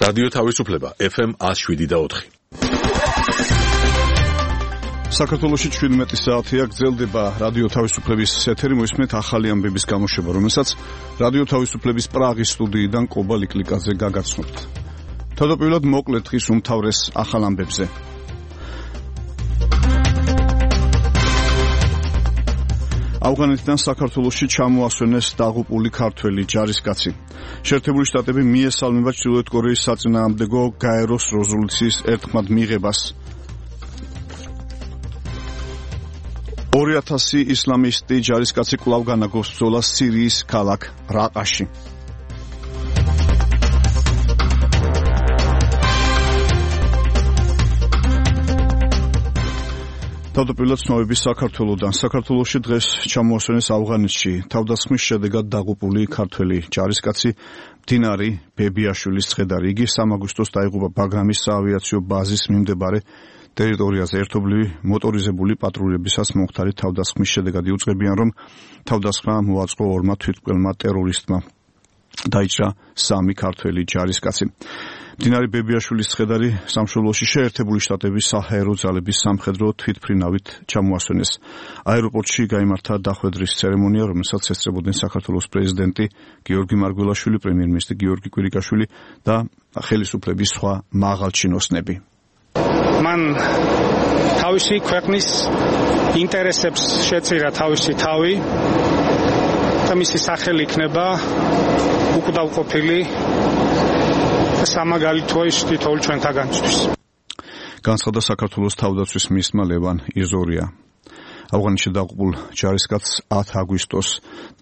რადიო თავისუფლება FM 107.4. საქართველოში 17 საათია გრძელდება რადიო თავისუფლების ეთერი, მოისმენთ ახალი ამბების გამოშვება, რომელსაც რადიო თავისუფლების პრაღის სტუდიიდან კობა ლიკლიკაძე გაგაცნობთ. თავდაპირველად მოკლედ დღის უმთავრეს ახალ ამბებზე. ავღანეთიდან საქართველოში ჩამოასვენეს დაღუპული ქართველი ჯარისკაცი. შეერთებული შტატები მიესალმება ჩრდილოეთ კორეის საწინააღმდეგო გაეროს რეზოლუციის ერთხმად მიღებას. 2000 ისლამისტი ჯარისკაცი კვლავ განაგობს ბრძოლას სირიის ქალაქ რაყაში. თავდაპირველად ცნობები საქართველოდან. საქართველოში დღეს ჩამოასვენეს ავღანეთში თავდასხმის შედეგად დაღუპული ქართველი ჯარისკაცი მდინარი ბებიაშვილის ცხედარი. იგი 3 აგვისტოს დაიღუპა ბაგრამის საავიაციო ბაზის მიმდებარე ტერიტორიაზე. ერთობლივი მოტორიზებული პატრულებისას მომხდარი თავდასხმის შედეგად იუწყებიან, რომ თავდასხმა მოაწყო 2 თვითმკვლელმა ტერორისტმა. დაიჭრა 3 ქართველი ჯარისკაცი. მდინარე ბებიაშვილის ცხედარი სამშობლოში შეერთებული შტატების საჰაერო ძალების სამხედრო თვითმფრინავით ჩამოასვენეს. აეროპორტში გაიმართა დახვედრის ცერემონია, რომელსაც ესწრებოდნენ საქართველოს პრეზიდენტი გიორგი მარგველაშვილი, პრემიერ-მინისტრი გიორგი კვირიკაშვილი და ხელისუფლების სხვა მაღალჩინოსნები. მან თავისი ქვეყნის ინტერესებს შეწირა თავისი თავი და მისი სახელი იქნება უკვდავყოფილი სამაგალითოა ის თითოეულ ჩვენთაგანისთვის. განცხადა საქართველოს თავდაცვის მინისტრმა ლევან იზორია. ავღანეთში დაღუპულ ჯარისკაცს 10 აგვისტოს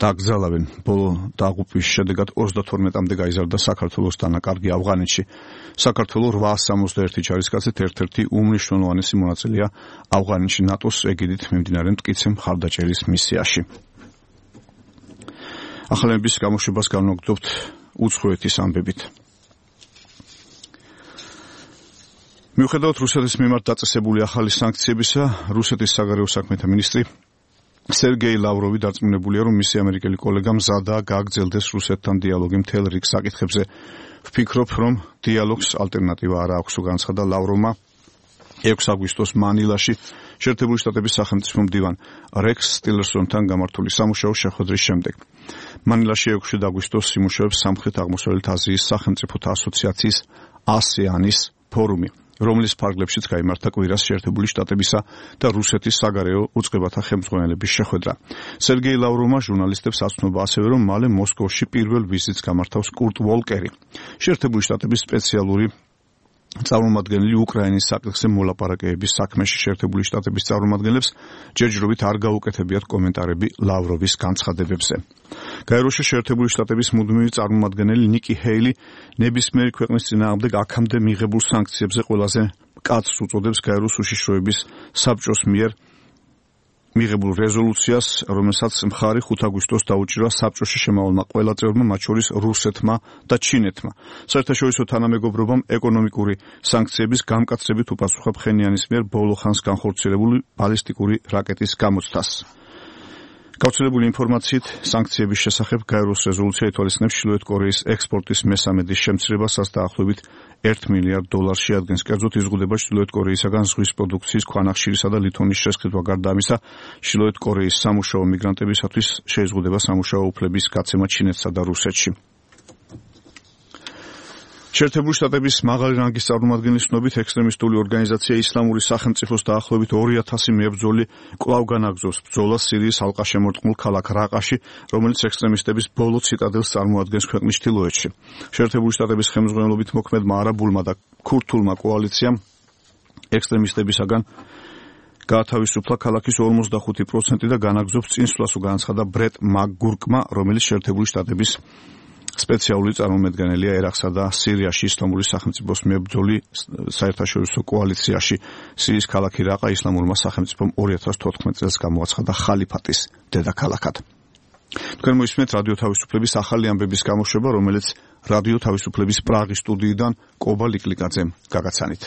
დაკრძალავენ. ბოლო დაღუპვის შედეგად 32-მდე გაიზარდა საქართველოს დანაკარგი ავღანეთში. საქართველოს 861 ჯარისკაცით ერთ-ერთი უმნიშვნელოვანესი მონაწილეა ავღანეთში ნატოს ეგიდით მიმდინარე მტკიცე მხარდაჭერის მისიაში. ახალების გამოშვებას განვაგრძობთ უცხოეთის ამბებით. მიუხედავად რუსეთის მიმართ დაწესებული ახალი სანქციებისა, რუსეთის საგარეო საქმეთა მინისტრი სერგეი ლავროვი დარწმუნებულია, რომ მისი ამერიკელი კოლეგა მზადაა გააგრძელდეს რუსეთთან დიალოგი მთელ რიგ საკითხებზე. ვფიქრობ, რომ დიალოგს ალტერნატივა არ აქვს, განცხადა ლავროვმა 6 აგვისტოს მანილაში შეერთებული შტატების სახელმწიფო მდივან რექს ტილერსონთან გამართული სამუშაო შეხვედრის შემდეგ. მანილაში 6 აგვისტოს იმუშავებს სამხრეთ-აღმოსავლეთ აზიის სახელმწიფოთა ასოციაციის ASEAN-ის ფორუმი, რომლის ფარგლებშიც გაიმართა კვირას შეერთებული შტატებისა და რუსეთის საგარეო უწყებათა ხელმძღვანელების შეხვედრა. სერგეი ლავროვმა ჟურნალისტებს აცნობა ასევე, რომ მალე მოსკოვში პირველ ვიზიტს გამართავს კურტ ვოლკერი. შეერთებული შტატების სპეციალური წარმომადგენელი უკრაინის საკითხზე მოლაპარაკებების საქმეში შეერთებული შტატების წარმომადგენლებს ჯერჯერობით არ გაუკეთებიათ კომენტარები ლავროვის განცხადებებზე. გაეროში შეერთებული შტატების მუდმივი წარმომადგენელი ნიკი ჰეილი ნებისმიერი ქვეყნის წინააღმდეგ აქამდე მიღებულ სანქციებზე ყველაზე მკაცრ უწოდებს გაეროს უშიშროების საბჭოს მიერ მიღებულ რეზოლუციას, რომელსაც მხარი 5 აგვისტოს დაუჭირა საბჭოში შემავალმა ყველა წევრმა, მათ შორის რუსეთმა და ჩინეთმა. საერთაშორისო თანამეგობრობამ ეკონომიკური სანქციების გამკაცრებით უპასუხა ფხენიანის მიერ ბოლო ხანს განხორციელებული ბალისტიკური რაკეტის გამოცდას. გავრცელებული ინფორმაციით, სანქციების შესახებ გაეროს რეზოლუცია ითვალისწინებს ჩრდილოეთ კორეის ექსპორტის მესამედის შემცირებასაც დაახლოებით $1 მილიარდ შეადგენს. კერძოდ იზღუდება ჩრდილოეთ კორეისაგან ზღვის პროდუქციის ქვანახშირისა და ლითონის შესყიდვა. გარდა ამისა, ჩრდილოეთ კორეის სამუშაო მიგრანტებისათვის შეიზღუდება სამუშაო უფლების გაცემა ჩინეთსა და რუსეთში. შეერთებული შტატების მაღალი რანგის წარმომადგენლის ცნობით, ექსტრემისტული ორგანიზაცია ისლამური სახელმწიფოს დაახლოებით 2000 მებრძოლი კვლავ განაგრძობს ბრძოლას სირიის ალყაშემორტყმულ ქალაქ რაყაში, რომელიც ექსტრემისტების ბოლო ციტადელს წარმოადგენს ქვეყნის ჩრდილოეთში. შეერთებული შტატების ხელმძღვანელობით მოქმედმა არაბულმა და ქურთულმა კოალიციამ ექსტრემისტებისაგან გაათავისუფლა ქალაქის 45% და განაგრძობს წინსვლას, განაცხადა ბრეტ მაკგურკმა, რომელიც შეერთებული შტატების სპეციალური წარმომადგენელია ერაყსა და სირიაში ისლამური სახელმწიფოს მებრძოლი საერთაშორისო კოალიციაში. სირიის ქალაქი რაყა ისლამურმა სახელმწიფომ 2014 წელს გამოაცხადა ხალიფატის დედაქალაქად. თქვენ მოისმენთ რადიო თავისუფლების ახალი ამბების გამოშვება, რომელიც რადიო თავისუფლების პრაღის სტუდიიდან კობა ლიკლიკაძემ გაგაცანით.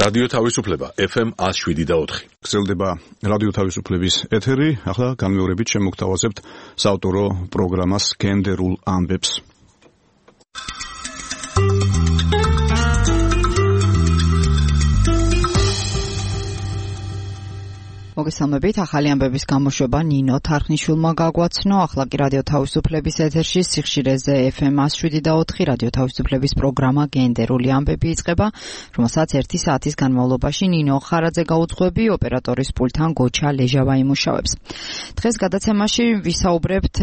რადიო თავისუფლება FM 107.4. გრძელდება რადიო თავისუფლების ეთერი. ახლა განმეორებით შემოგთავაზებთ საავტორო პროგრამას გენდერულ ამბებს. მოგესალმებით, ახალი ამბების გამოშვება ნინო თარხნიშვილმა გაგვაცნო. ახლა კი რადიო თავისუფლების ეთერში სიხშირეზე FM 107.4 რადიო თავისუფლების პროგრამა გენდერული ამბები იწყება, რომელსაც 1 საათის განმავლობაში ნინო ხარაძე გაუძღვები, ოპერატორის პულტთან გოჩა ლეჟავა იმუშავებს. დღეს გადაცემაში ვისაუბრებთ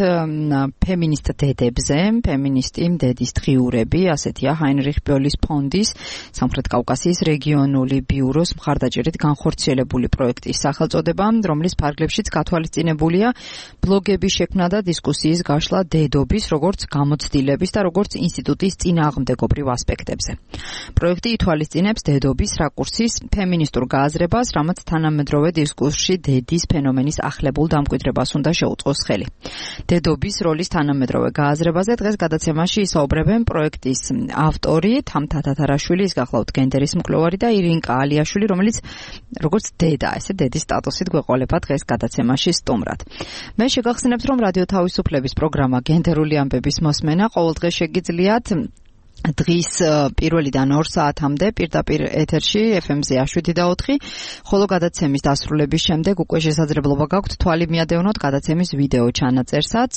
ფემინისტ დედებზე, ფემინისტი დედის დღიურები, ასეთია ჰაინრიხ ბოლის ფონდის სამხრეთ კავკასიის რეგიონული ბიუროს მხარდაჭერით განხორციელებული პროექტის სახელწოდება, რომლის ფარგლებშიც გათვალისწინებულია ბლოგების შექმნა და დისკუსიის გაშლა დედობის, როგორც გამოცდილების და როგორც ინსტიტუტის წინააღმდეგობრივ ასპექტებზე. პროექტი ითვალისწინებს დედობის რაკურსის ფემინისტურ გააზრებას, რამაც თანამედროვე დისკურსში დედის ფენომენის ახლებულ დამკვიდრებას უნდა შეუწყოს ხელი. დედობის როლის თანამედროვე გააზრებაზე დღეს გადაცემაში ისაუბრებენ პროექტის ავტორი თამთა თათარაშვილი, ის გახლავთ გენდერის მკვლევარი და ირინკა ალიაშვილი, რომელიც როგორც დედა, ესე დედის სტატუსით გვეყოლება დღეს გადაცემაში სტუმრად. მე შეგახსენებთ, რომ რადიო თავისუფლების პროგრამა გენდერული ამბების მოსმენა ყოველდღე შეგიძლიათ დღის პირველიდან 2 საათამდე პირდაპირ ეთერში FM-ზე 107.4, ხოლო გადაცემის დასრულების შემდეგ უკვე შესაძლებლობა გაქვთ თვალი მიადევნოთ გადაცემის ვიდეო ჩანაწერსაც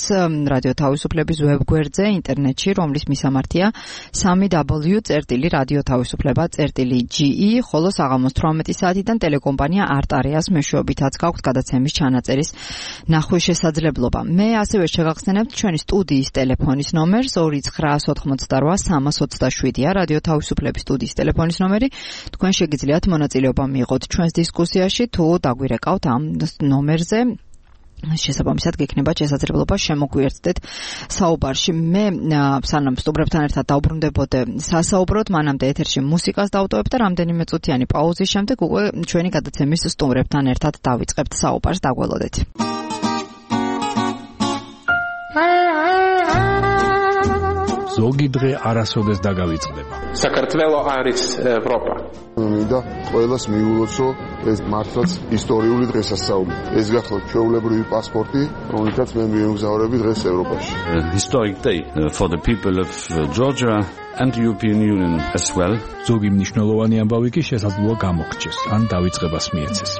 რადიო თავისუფლების ვებგვერდზე ინტერნეტში, რომლის მისამართია www.radiotavisufleba.ge, ხოლო საღამოს 18 საათიდან ტელეკომპანია არტარეას მეშვეობითაც გაქვთ გადაცემის ჩანაწერის ნახვის შესაძლებლობა. მე ასევე შეგახსენებთ ჩვენი სტუდიის ტელეფონის ნომერს 2988 327-ია რადიო თავისუფლების სტუდიის ტელეფონის ნომერი. თქვენ შეგიძლიათ მონაწილეობა მიიღოთ ჩვენს დისკუსიაში, თუ დაგვირეკავთ ამ ნომერზე. შესაბამისად გექნება შესაძლებლობა შემოგვიერთდეთ საუბარში. მე სანამ სტუმრებთან ერთად დავბრუნდებოდე სასაუბროდ, მანამდე ეთერში მუსიკას დავტოვებ და რამდენიმე წუთიანი პაუზის შემდეგ უკვე ჩვენი გადაცემის სტუმრებთან ერთად დავიწყებთ საუბარს. დაგველოდეთ. ზოგი დღე არასოდეს დაგავიწყდება. საქართველო არის ევროპა. მინდა ყველას მიულოცო ეს მართლაც ისტორიული დღესასწაული. ეს გახლავთ ჩვეულებრივი პასპორტი, რომელიცაც მე მიემგზავრები დღეს ევროპაში. Historic day for the people of Georgia and the European Union as well. ზოგი მნიშვნელოვანი ამბავი კი შესაძლოა გამოგრჩეს, ან დავიწყებას მიეცეს.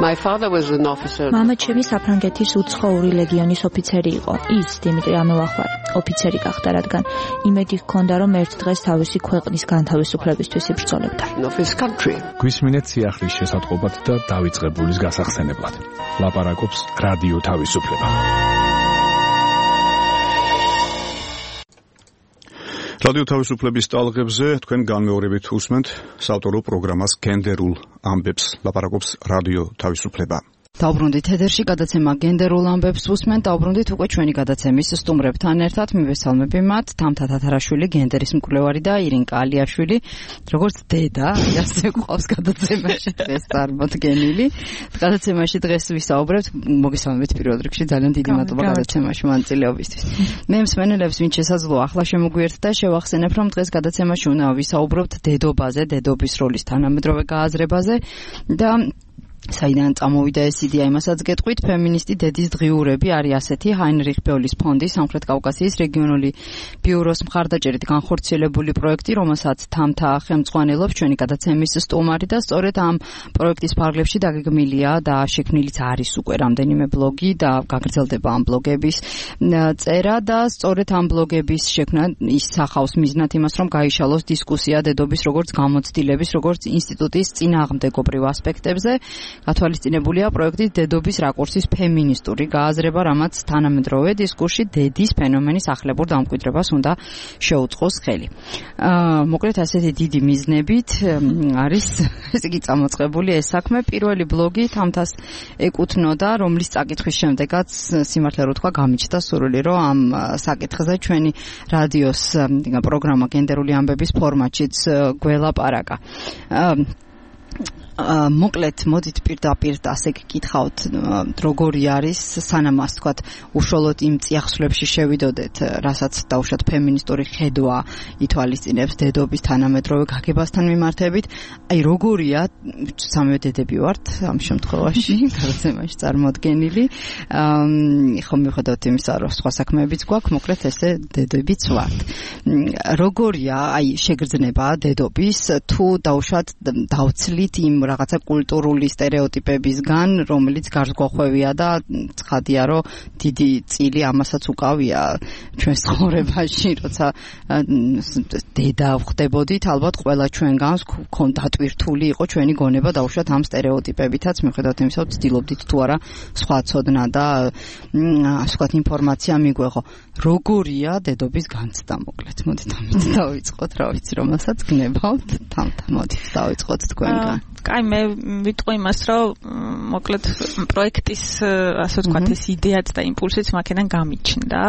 My father was an officer. მამა ჩემი საფრანგეთის უცხოური ლეგიონის ოფიცერი იყო. ის დიმიტრი ამელახვარ ოფიცერი გახდა, რადგან იმედი ჰქონდა, რომ ერთ დღეს თავისი ქვეყნის განთავისუფლებისთვის იბრძოლებდა. გვისმინეთ სიახლის შესატყობად და დავიწყებულის გასახსენებლად. ლაპარაკობს რადიო თავისუფლება. რადიო თავისუფლების ტალღებზე თქვენ განმეორებით უსმენთ საავტორო პროგრამას გენდერულ ამბებს. ლაპარაკობს რადიო თავისუფლება. დავბრუნდით ეთერში, გადაცემა გენდერულ ამბებს უსმენთ. დავბრუნდით უკვე ჩვენი გადაცემის სტუმრებთან ერთად. მივესალმები მათ, თამთა თათარაშვილი, გენდერის მკვლევარი და ირინკა ალიაშვილი, როგორც დედა, ასე ყავს გადაცემაში დღეს წარმოდგენილი. გადაცემაში დღეს ვისაუბრებთ, მოგესალმებით პირველ რიგში, ძალიან დიდი მადლობა გადაცემაში მონაწილეობისთვის. მე მსმენელებს, ვინც შესაძლოა ახლა შემოგვიერთდა, შევახსენებ, რომ დღეს გადაცემაში უნდა ვისაუბრებთ დედობაზე, დედობის როლის თანამედროვე გააზრებაზე და საიდან წამოვიდა ეს იდეა, იმასაც გეტყვით. ფემინისტი დედის დღიურები არის ასეთი ჰაინრიხ ბოლის ფონდის სამხრეთ კავკასიის რეგიონული ბიუროს მხარდაჭერით განხორციელებული პროექტი, რომელსაც თამთა ხელმძღვანელობს ჩვენი გადაცემის სტუმარი და სწორედ ამ პროექტის ფარგლებში დაგეგმილია და შექმნილიც არის უკვე რამდენიმე ბლოგი და გაგრძელდება ამ ბლოგების წერა და სწორედ ამ ბლოგების შექმნა ისახავს მიზნად იმას, რომ გაიშალოს დისკუსია დედობის როგორც გამოცდილების, როგორც ინსტიტუტის წინააღმდეგობრივ ასპექტებზე. გათვალისწინებულია პროექტის დედობის რაკურსის ფემინისტური გააზრება, რამაც თანამედროვე დისკურსში დედის ფენომენის ახლებურ დამკვიდრებას უნდა შეუწყოს ხელი. მოკლედ ასეთი დიდი მიზნებით არის ესე იგი წამოწყებული ეს საქმე. პირველი ბლოგი თამთას ეკუთვნოდა, რომლის წაკითხვის შემდეგაც სიმართლე რო თქვა გამიჩნდა სურვილი, რომ ამ საკითხზე ჩვენი რადიოს პროგრამა გენდერული ამბების ფორმატშიც გველაპარაკა. მოკლედ მოდით პირდაპირ ასე გკითხავთ როგორი არის სანამ ასე ვთქვათ უშუალოდ იმ წიაღსვლებში შევიდოდეთ რასაც დაუშვათ ფემინისტური ხედვა ითვალისწინებს დედობის თანამედროვე გაგებასთან მიმართებით აი როგორია სამივე დედები ვართ ამ შემთხვევაში გარემოში წარმოდგენილი ხო მიუხედავად იმისა რომ სხვა საქმეებიც გვაქვს მოკლედ ესე დედებიც ვართ როგორია აი შეგრძნება დედობის თუ დაუშვათ დავცლით იმ რაღაცა კულტურული სტერეოტიპებისგან რომელიც გარსგვახვევია და ცხადია რომ დიდი წილი ამასაც უკავია ჩვენ ცხოვრებაში როცა დედა ვხდებოდით ალბათ ყველა ჩვენგანს ქონდა დატვირთული იყო ჩვენი გონება დაუშვათ ამ სტერეოტიპებითაც მიუხედავად იმისა რომ ცდილობდით თუ არა სხვა ცოდნა და ასე ვთქვათ ინფორმაცია მიგვეღო როგორია დედობის განცდა მოკლედ მოდით ამით დავიწყოთ რა ვიცი რომელსაც გნებავთ მოდით დავიწყოთ თქვენგან კაი მე ვიტყვი იმას რომ მოკლედ პროექტის ასე ვთქვათ ეს იდეაც და იმპულსიც მაქედან გამიჩნდა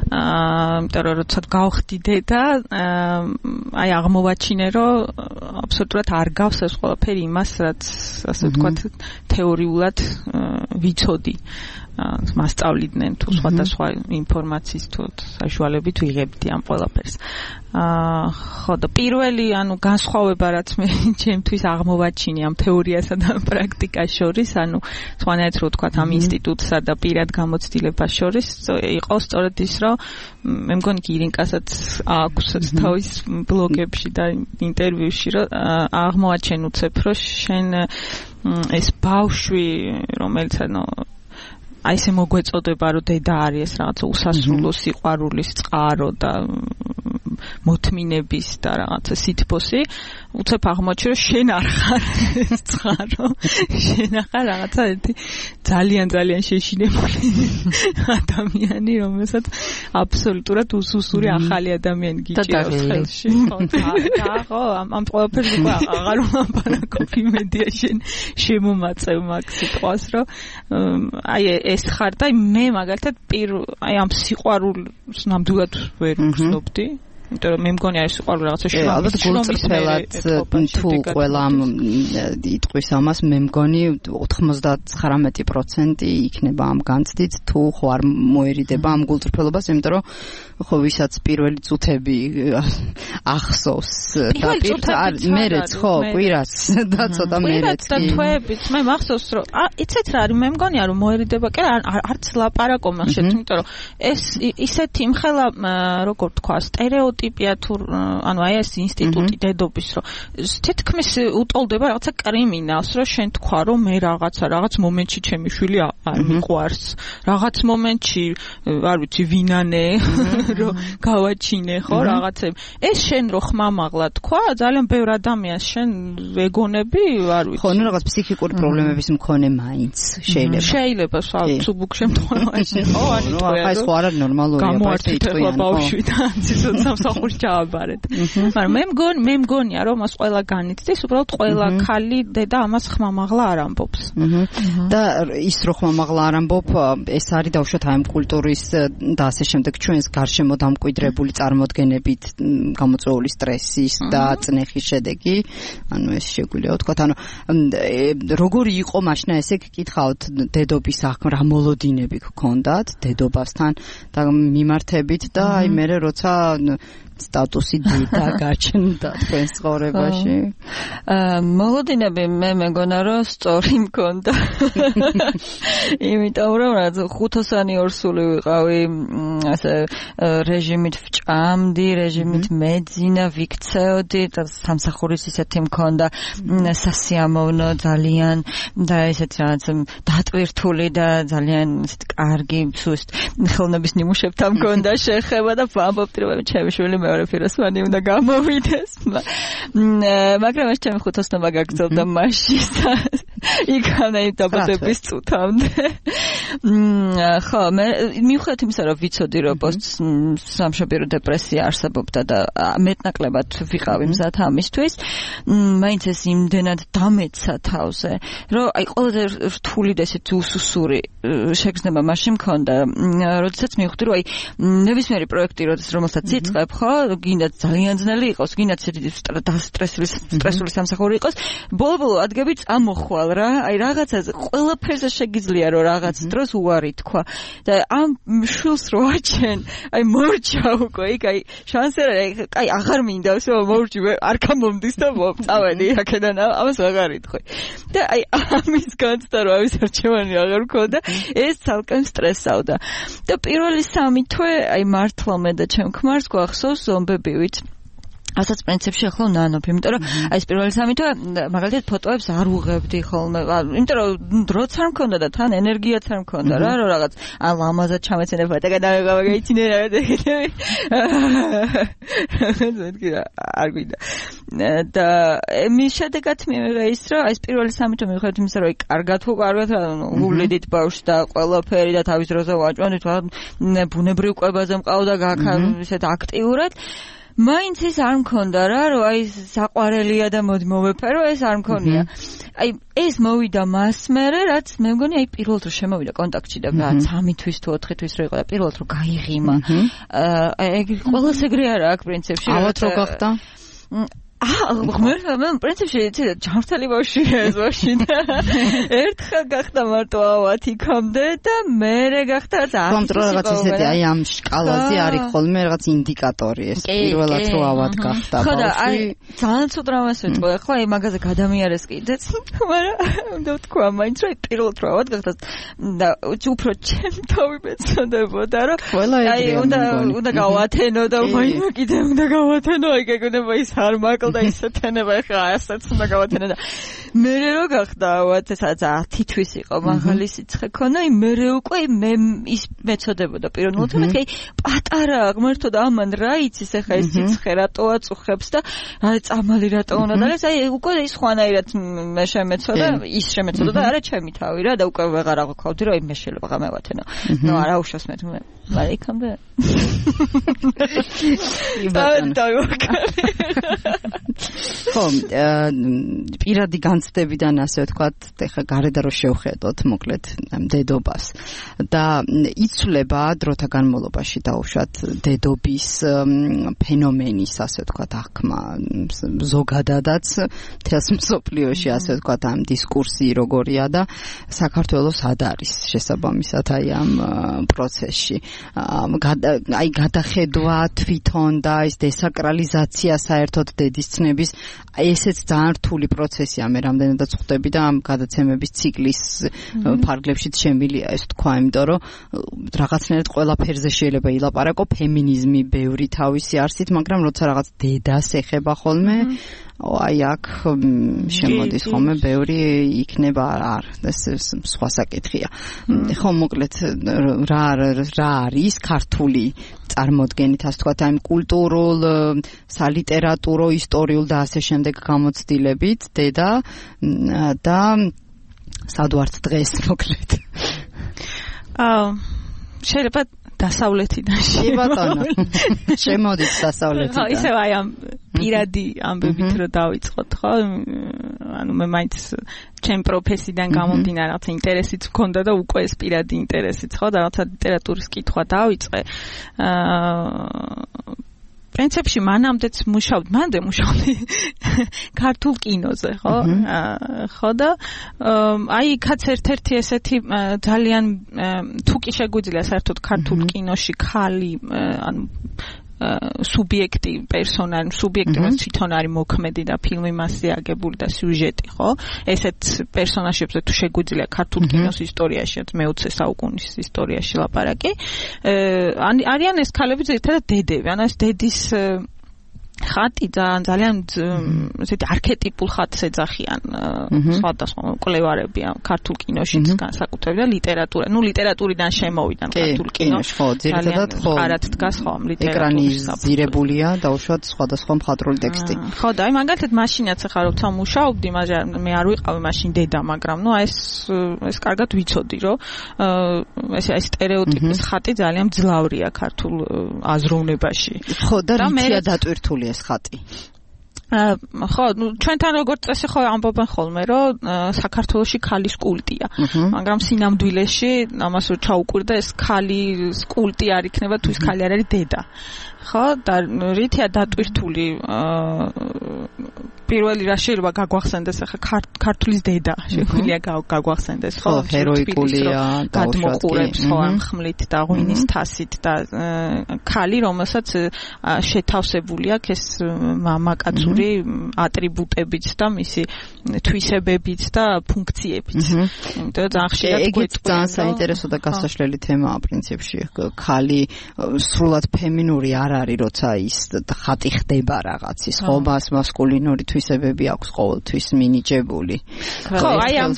იმიტომ რომ როცა გავხდი დედა აი აღმოვაჩინე რომ აბსოლუტურად არ გავს ეს ყველაფერი იმას რაც ასე ვთქვათ თეორიულად ვიცოდი მასწავლიდნენ თუ სხვადასხვა ინფორმაციის თუ საშუალებით ვიღებდი ამ ყველაფერს. ხო და პირველი ანუ განსხვავება რაც მე ჩემთვის აღმოვაჩინე ამ თეორიასა და პრაქტიკას შორის, ანუ სხვანაირად რო ვთქვათ ამ ინსტიტუტსა და პირად გამოცდილებას შორის იყო სწორედ ის, რომ მე მგონი ირინკასაც აქვს თავის ბლოგებში და ინტერვიუში რომ აღმოვაჩენ უცებ რომ შენ ეს ბავშვი რომელიც ანუ აი ესე მოგვეწოდება რომ დედა არის ეს რაღაცა უსასრულო სიყვარულის წყარო და მოთმინების და რაღაცა სითბოსი უცებ აღმოჩნდა რომ შენ არ ხარ ეს წყარო შენ ახარ რაღაცა ერთი ძალიან შეშინებული ადამიანი რომელსაც აბსოლუტურად უსუსური ახალი ადამიანი გიჭირავს ხელში ხო ამ ყველაფერს უკვე აღარ ვლაპარაკობ იმედია შენ შემომაწევ მაგ სიტყვას რომ აი ეს ხარ და მე მაგალითად აი ამ სიყვარულს ნამდვილად ვერ ვგრძნობდი იმიტომ რომ მე მგონი არის სიყვარული რაღაცა შრომისფერად თუ ყველა ამ იტყვის ამას მე მგონი 99% იქნება ამ განცდით თუ ხო არ მოერიდება ამ გულწრფელობას იმიტომ რომ ხო ვისაც პირველი წუთები ახსოვს და მერეც ხო კვირას და ცოტა მერეც და თვეებით მე მახსოვს რომ იცით რა არის მე მგონია რომ მოერიდება კი არც ლაპარაკობ მახშეთ იმიტომ რომ ეს ისეთი იმხელა როგორ თქვა სტერეოტიპია თუ ანუ აი ეს ინსტიტუტი დედობის რომ თითქმის უტოლდება რაღაცა კრიმინალს რომ შენ თქვა რომ მე რაღაც მომენტში ჩემი შვილი არ მიყვარს რაღაც მომენტში არ ვიცი ვინანე რომ გავაჩინე ხო რაღაცები ეს შენ რო ხმამაღლა თქვა ძალიან ბევრ ადამიანს შენ ეგონები არ ვიცი ხო ნუ რაღაც ფსიქიკური პრობლემების მქონე მაინც შეიძლება სუბუქ შემთხვევაში ხო ანუ თქვა ეს ხო არ არის ნორმალურია გამოვარჩიტება ბავშვი და ციცოთ სამსახურში ჩააბარეთ მაგრამ მე მგონია რომ მას ყველა განიცდის უბრალოდ ყველა ქალი დედა ამას ხმამაღლა არ ამბობს და ის რო ხმამაღლა არ ამბობ ეს არის დაუშვათ აი ამ კულტურის და ასე შემდეგ ჩვენს გარშემო დამკვიდრებული წარმოდგენებით გამოწვეული სტრესის და წნეხის შედეგი ანუ ეს შეგვიძლია ვთქვათ ანუ როგორი იყო მაშინ ესე გკითხავთ დედობის რა მოლოდინები გქონდათ დედობასთან და მიმართებით და აი მე როცა სტატუსი დედა გაჩნდა თქვენ ცხოვრებაში მოლოდინები მე მეგონა რომ სწორი მქონდა იმიტომ რომ რაც 5-ოსანი ორსული ვიყავი ასე რეჟიმით ვჭამდი რეჟიმით მეძინა ვიქცეოდი და სამსახურის ისეთი მქონდა სასიამოვნო ძალიან და ესეც რაღაც დატვირთული და ძალიან ესეთ კარგი სუსტ ხელნების ნიმუშებთან მქონდა შეხება და ვამბობდი რომ ჩემი შვილი მეორე პიროსმანი უნდა გამოვიდეს მაგრამ ეს ჩემი 5-ოსნობა გაგრძელდა მაშინ და იქანე დაბადების წუთამდე ხო მე მიუხედავად იმისა რომ ვიცოდი რომ სამშობიარო დეპრესია არსებობდა და მეტნაკლებად ვიყავი მზად ამისთვის მაინც ეს იმდენად დამეცა თავზე რომ აი ყველაზე რთული და ესეთი უსუსური შეგრძნება მაშინ მქონდა, როდესაც მივხვდი, რომ აი ნებისმიერი პროექტი, რომელსაც იწყებ, ხო, გინდა ძალიან ძნელი იყოს, გინდა სტრესული სამსახური იყოს, ბოლო-ბოლო ადგები წამოხვალ რა, აი რაღაცაზე ყველაფერზე შეგიძლია რომ რაღაც დროს უარი თქვა და ამ შულს რო აჩენ, აი მორჩა უკვე, იქ აი შანსი აი აღარ მინდავს რომ მორჩი არ გამომდის და წავედი აქედან ამას აღარ იტყვი. და აი ამის განცდა რომ ამის არჩევანი აღარ მქონდა, ეს ცალკე სტრესავდა. და პირველი 3 თვე აი მართლა მე და ჩემ ქმარს გვახსოვს ზომბებივით. ასაც პრინციპში ახლა ნანობ, იმიტომ რომ აი ეს პირველი 3 თვე მაგალითად ფოტოებს არ უღებდი ხოლმე, იმიტომ რომ დროც არ მქონდა და თან ენერგიაც არ მქონდა რა, რომ რაღაც ან ლამაზად ჩამეცენება და გადავეიცინე რა და არ გვიდა. და მის შედეგად მივიღე ის, რომ აი ეს პირველი 3 თვე მივხვდი იმისა, რომ აი კარგად გულიდით ბავშვს და ყველაფერი და თავის დროზე ვაჭვანით, ბუნებრივ კვებაზე მყავდა გაქა ისეთ აქტიურად. მაინც ეს არ მქონდა რა, რომ აი საყვარელია და მოდი მოვეფერო, ეს არ მქონია. აი ეს მოვიდა მას მერე, რაც მე მგონი აი პირველად რომ შემოვიდა კონტაქტში და 3 თვის თუ 4 თვის რო იყო და პირველად რომ გაიღიმა. აი ყველას ეგრე არა აქ პრინციპში. ავად რო გახდა? ღმერთმა პრინციპში ჯანმრთელი ბავშვია ეს ბავშვი და ერთხელ გახდა მარტო ავად იქამდე და მერე გახდა კონტროლ რაღაც ისეთი აი ამ სკალაზე არის ხოლმე რაღაც ინდიკატორი ეს პირველად რო ავად გახდა ბავშვი. ხო და აი ძალიან ცუდ რამას ვიტყვი ახლა აი მაგაზე გადამიარეს კიდეც, მაგრამ უნდა თქვა მაინც რომ პირველად რო ავად გახდა და უფრო ჩემ თავი მეცოდებოდა რომ აი უნდა გავათენო და მაინც კიდე უნდა გავათენო აი გეგონება ის არ მაკლ და ისეთენება ხა ასაც უნდა გავათენე და მერე რო გახდა ვაცესაც 10 თვის იყო მაღალი სიცხე ქონა, აი მერე უკვე მე ის მეცოდებოდა პიროვნულად, მაგრამ პატარა ღმერთო და ამან რა იცის ახლა ეს სიცხე რატო აწუხებს და აი წამალი რატო უნდა და ეს აი უკვე ის ხვანაირად მე შემეცოდა, ის შემეცოდა და არა ჩემი თავი რა და უკვე ვეღარ აღვქავდი რომ აი მე შეიძლება გამევათენო. ნუ არა უშავს მე მაგრამ იქამდე ხო, პირადი განცდებიდან ასე ვთქვათ, ეხლა გარედან რო შევხედოთ მოკლედ დედობას და იცვლება დროთა განმავლობაში დაუშვათ დედობის ფენომენის ასე ვთქვათ აღქმა ზოგადადაც მთელს მსოფლიოში ასე ვთქვათ ამ დისკურსი როგორია და საქართველოს ად არის შესაბამისად აი ამ პროცესში. აი გადახედვა თვითონ და ის დესაკრალიზაცია საერთოდ დედის ცნების ესეც ძალიან რთული პროცესია მე რამდენადაც ხვდები და ამ გადაცემების ციკლის ფარგლებშიც შემილია ეს თქვა, იმიტომ რომ რაღაცნაირად ყველაფერზე შეიძლება ილაპარაკო, ფემინიზმი ბევრი თავისი არსით, მაგრამ როცა რაღაც დედას ეხება ხოლმე აი აქ შემოდის ხოლმე ბევრი იქნება არ ეს სხვა საკითხია. ხო მოკლედ რა არის ქართული წარმოდგენით ასე ვთქვათ აი კულტურულ, სალიტერატურო, ისტორიულ და ასე შემდეგ გამოცდილებით დედა და სადვართ დღეს მოკლედ. შეიძლება დასავლეთიდან ბატონო შემოდით დასავლეთიდან. ხო ისევ აი ამ პირადი ამბებით რომ დავიწყოთ ხო, ანუ მე მაინც ჩემ პროფესიიდან გამომდინარე რაღაც ინტერესიც მქონდა და უკვე ეს პირადი ინტერესიც ხო და რაღაცა ლიტერატურის კითხვა დავიწყე. პრინციპში მანამდეც მუშაობდი ქართულ კინოზე, ხო? ხო და აი იქაც ერთ-ერთი ესეთი ძალიან თუ კი შეგვიძლია საერთოდ ქართულ კინოში ხალი ანუ სუბიექტი, პერსონალი, სუბიექტი რაც თვითონ არის მოქმედი და ფილმი მასზე აგებული და სიუჟეტი, ხო? ესეთ პერსონაჟებზე თუ შეგვიძლია ქართულ კინოს ისტორიაში, მე-20 საუკუნის ისტორიაში ლაპარაკი, არიან ეს ქალები ზოგადად დედები, ანუ ეს დედის ხატი ძალიან ესეთი არქეტიპულ ხატს ეძახიან სხვადასხვა მკვლევარები ქართულ კინოშიც განსაკუთრებით და ლიტერატურა. ნუ ლიტერატურიდან შემოვიდან ქართულ კინოში. ხო, ძირითადად ხო. ხარად დგას ხო ლიტერატურის ეკრანიზირებულია დაუშვათ სხვადასხვა მხატვრული ტექსტი. ხო და აი მაგალითად მაშინაც ახლა როცა მუშაობდი, მაგრამ მე არ ვიყავი მაშინ დედა, მაგრამ ნუ ეს კარგად ვიცოდი, რომ ეს სტერეოტიპის ხატი ძალიან მძლავრია ქართულ აზროვნებაში. ხო და რითია დატვირთული ეს ხატი? ხო, ჩვენთან როგორც წესი ხო ამბობენ ხოლმე, რომ საქართველოში ქალის კულტია. მაგრამ სინამდვილეში ამას რო ჩაუკვირდა, ეს ქალის კულტი არ იქნება თუ ის ქალი არ არის დედა. ხო, და რითია დატვირთული პირველი რა შეიძლება გაგვახსენდეს ახლა ქართლის დედა შეგვიძლია გაგვახსენდეს ხო ჰეროიკულია გადმოყურებს ხო ამ ხმლით და ღვინის თასით და ქალი რომელსაც შეთავსებული აქვს ეს მამაკაცური ატრიბუტებით და მისი თვისებებით და ფუნქციებით. იმიტომ ძალიან ხშირად გვეწყვეტს ძალიან საინტერესო და გასაშლელი თემაა პრინციპში. ქალი სრულად ფემინური არ არის, როცა ის ხატი ხდება რაღაცის, ხო, მასკულინური თვისებები აქვს ყოველთვის მინიჭებული. ხო, აი ამ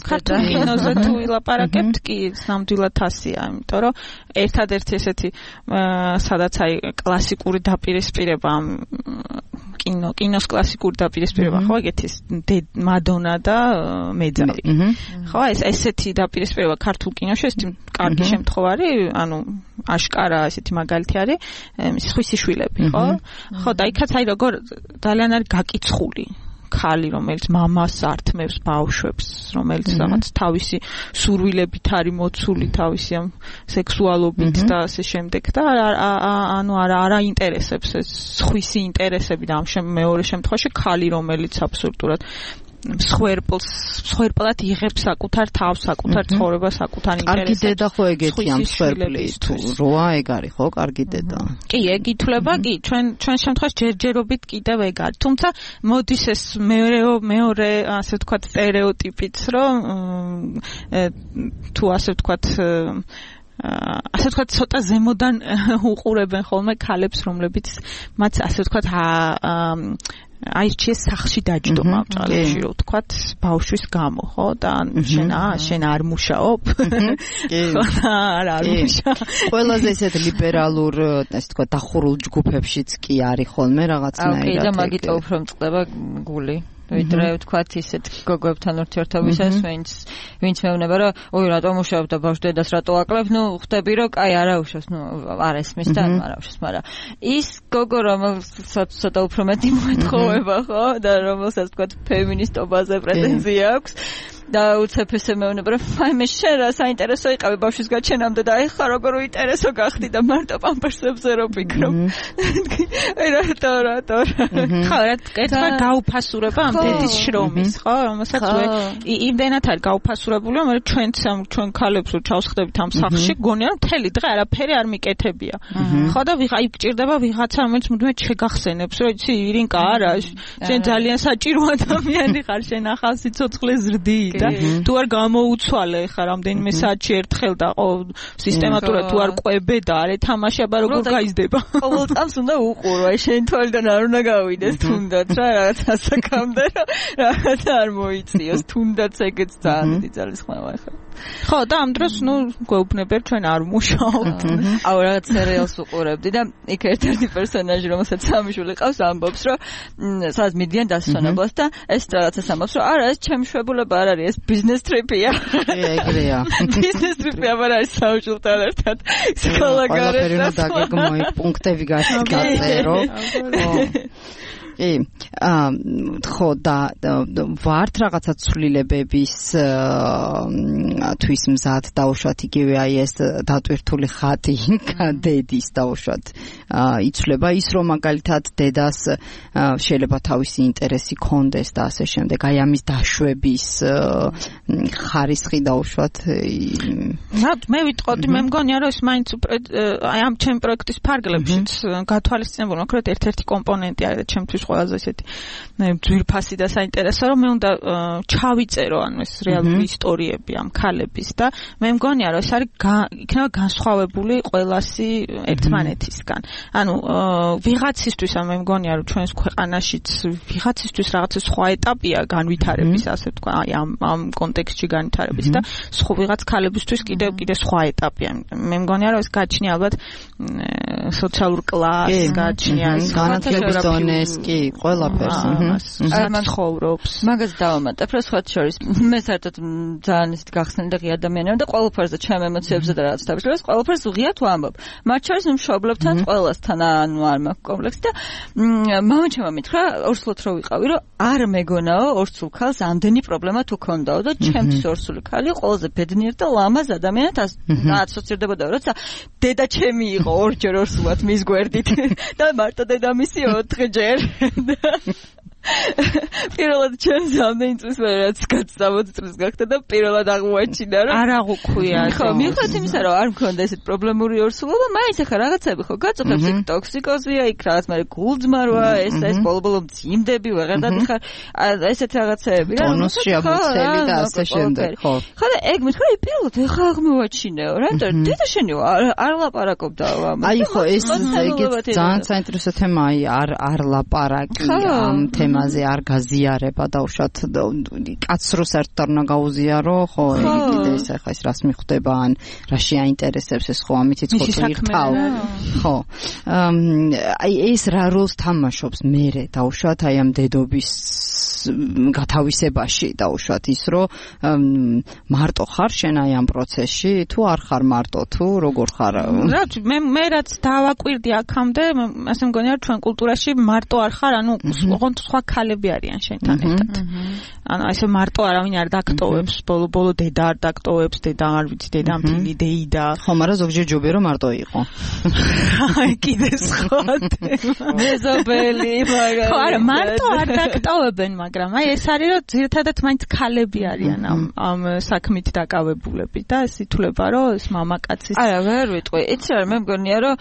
ქართულ კინოზე თუ ვილაპარაკებთ, კი ნამდვილად ასია, იმიტომ რომ ერთადერთი ესეთი სადაც აი კლასიკური დაპირისპირება ამ კინოს კლასიკური დაპირისპირება ხო ეგეთი მადონა და მეძავი. ხო, ესეთი დაპირისპირება ქართულ კინოში ეს კარგი შემთხვევარი, ანუ აშკარა ესეთი მაგალითი არის სხვისი შვილები, ხო? ხო, და იქაც აი როგორ ძალიან არის გაკიცხული ქალი, რომელიც მამას ართმევს ბავშვებს, რომელიც რაღაც თავისი სურვილებით არის მოცული, თავისი ამ სექსუალობით და ასე შემდეგ და ანუ არა ინტერესებს ეს სხვისი ინტერესები და ამ მეორე შემთხვევაში ქალი, რომელიც აბსოლუტურად მსხვერპლად იღებს საკუთარ თავს, საკუთარ ცხოვრებას, საკუთარ ინტერესებს. კარგი დედა ხო ეგეთია მსხვერპლი თუ როა ეგ არის ხო კარგი დედა. კი, ეგ ითვლება, კი, ჩვენ შემთხვევაში ჯერჯერობით კიდევ ეგ არის. თუმცა მოდის ეს მეორე ასე ვთქვათ სტერეოტიპიც, რომ თუ ასე ვთქვათ ასე ვთქვათ ცოტა ზემოდან უყურებენ ხოლმე ქალებს, რომლებიც მათ ასე ვთქვათ აირჩიეს სახლში დაჯდომა ბჭალებში რო ვთქვათ ბავშვის გამო ხო და შენ არ მუშაობ ხო არ მუშაობ ყველაზე ესეთ ლიბერალურ ასე ვთქვათ დახურულ ჯგუფებშიც კი არის ხოლმე რაღაცნაირად კი და მაგით უფრო მწყდება გული ვიდრე ვთქვათ ისეთ გოგოებთან ურთიერთობისას ვინც მეუბნება რომ ოი რატომ მუშაობ და ბავშვ დედას რატო აკლებ ნუ ხვდები რომ კაი არა უშავს ნუ არ ესმის და არა უშავს მაგრამ ის გოგო რომელსაც ცოტა უფრო მეტი მოეთხოვება ხო და რომელსაც ვთქვათ ფემინისტობაზე პრეტენზია აქვს და უცებ ესე მეუბნება რომ აი მე შენ რა საინტერესო იყავი ბავშვის გაჩენამდე და ეხლა როგორ უინტერესო გახდი და მარტო პამპერსებზე რო ფიქრობ რატო ხო რა გაუფასურება ამ დედის შრომის ხო რომელსაც იმდენად არის გაუფასურებული რომ ჩვენ ქალებს რო ჩავსხდებით ამ სახლში გონია რომ მთელი დღე არაფერი არ მიკეთებია ხო და აი გჭირდება ვიღაცა რომელიც მუდმივად შეგახსენებს რომ იცი ირინკა არა შენ ძალიან საჭირო ადამიანი ხარ შენ ახალ სიცოცხლე ზრდი და თუ არ გამოუცვალე ხა რამდენიმე საათში ერთხელ და სისტემატურად თუ არ ყვებე და არ ეთამაშე აბა როგორ გაიზდება ყოველ წამს უნდა უყურო აი შენ თვალიდან არ უნდა გავიდეს თუნდაც რა რაღაც ასაკამდე რაღაც არ მოიწიოს თუნდაც ეგეც ძალიან ძალისხმევა ხა ხო და ამ დროს ნუ გვეუბნებერ ჩვენ არ მუშაობთ აუ რაღაც სერიალს უყურებდი და იქ ერთ-ერთი პერსონაჟი რომელსაც სამი შვილი ყავს ამბობს რომ სადაც მიდიან დასვენებლად და ეს რაღაცას ამბობს რომ არა ეს ჩემი შვებულება არ არის ეს ბიზნეს ტრიპია ეგრეა ბიზნეს ტრიპი არ არის საუჯულთან ერთად სკოლა გარეთ და დაგეგმო პუნქტები გაწერო ხო და ვართ რაღაცა ცვლილებების თვის მზად დაუშვათ იგივე აი ეს დატვირთული ხატი დედის დაუშვათ იცვლება ის რომ მაგალითად დედას შეიძლება თავისი ინტერესი კონდეს და ასე შემდეგ აი ამის დაშვების ხარისხი დაუშვათ მე ვიტყოდი მე მგონია რომ ეს მაინც აი ამ ჩემ პროექტის ფარგლებშიც გათვალისწინებული მოკლედ ერთ-ერთი კომპონენტი არის ჩემთვის ყველაზე ესეთი ძვირფასი და საინტერესო რომ მე უნდა ჩავიწერო ანუ ეს რეალური ისტორიები ამ ქალების და მე მგონია რომ ეს არის იქნება განსხვავებული ყველასი ერთმანეთისგან ანუ ვიღაცისთვის მე მგონია რომ ჩვენს ქვეყანაშიც ვიღაცისთვის რაღაცა სხვა ეტაპია განვითარების ასე ვთქვა აი ამ კონტექსტში განვითარების და სხვა ვიღაც ქალებისთვის კიდევ სხვა ეტაპია მე მგონია რომ ეს გაჩნია ალბათ სოციალურ კლასს გაჩნია განათლების დონეს კი კი, ყველაფერს. ამან ხოვრობს. მაგას დავამატებ, რა სხვა შორის მე საერთოდ ძალიან ისეთ გახსნილი ადამიანია და ყველაფერზე ჩემ ემოციებზე და რაც თავისუფლებას ყველაფერს უღიათ ვამბობ. მათ შორის მშობლებთან ყველასთან ანუ არ მაქვს კომპლექსი და მამაჩემმა მითხრა ორსულად რო ვიყავი, რომ არ მეგონაო ორსულ ქალს ამდენი პრობლემა თუ ქონდაო და ჩემთვის ორსული ქალი ყველაზე ბედნიერ და ლამაზ ადამიანად ასოცირდებოდა, როცა დედა ჩემი იყო ორჯერ ორსულად მის გვერდით და მარტო დედამისი 4ჯერ. პირველად ჩემს ამდენი წლის მერე რაც 60 წლის გახდა და პირველად აღმოაჩინა რომ არ აღვქვია. ხო, მიუხედავად იმისა რომ არ მქონდა ესეთ პრობლემური ორსულობა, მაინც ახლა რაღაცები ხო გაწუხებს იქ ტოქსიკოზია, იქ რაღაც მე გულძმარვა, ეს ბოლო მძიმდები ვეღარ დადიხარ, ესეთ რაღაცები რა. ტონუსში აღმოცელი და ასე შემდეგ, ხო. ხო და ეგ მითხრა პირველად ახლა აღმოაჩინეო, რატომ დედა შენი არ ლაპარაკობდა ამაზე. აი ხო, ეს ძალიან საინტერესო თემაა, არ ლაპარაკი ამ თემაზე არ გაზიარება დაუშვათ კაცს რო საერთოდ არ უნდა გაუზიარო, ხო, კიდე ეს ახლა ეს რას მიხვდება ან რა შეაინტერესებს ეს ხო ამით იცხოვრო ირთავ. ხო. აი ეს რა როლს თამაშობს მერე დაუშვათ აი ამ დედობის გათავისებაში დაუშვათ ის რომ მარტო ხარ შენ აი ამ პროცესში თუ არ ხარ მარტო თუ როგორ ხარ? რა მე რაც დავაკვირდი აქამდე ასე მგონია რომ ჩვენ კულტურაში მარტო არ ხარ, ანუ ოღონდ სხვა ქალები არიან შენთან ერთად. ანუ ესე მარტო არავინ არ დაგტოვებს, ბოლო დედა არ დაგტოვებს, დედა არ ვიცი, დედა მთელი დეიდა. ხო, მაგრამ ზოგჯერ ჯობია რომ მარტო იყო. აი კიდე სხვა თემა. მეზობელი, მაგრამ ხო, არა, მარტო არ დაგტოვებენ, მაგრამ აი ეს არის რომ ძირითადად მაინც ქალები არიან ამ საქმით დაკავებულები და ეს ითვლება რომ ეს მამაკაცის არა, ვერ ვიტყვი. იცი რა, მე მგონია რომ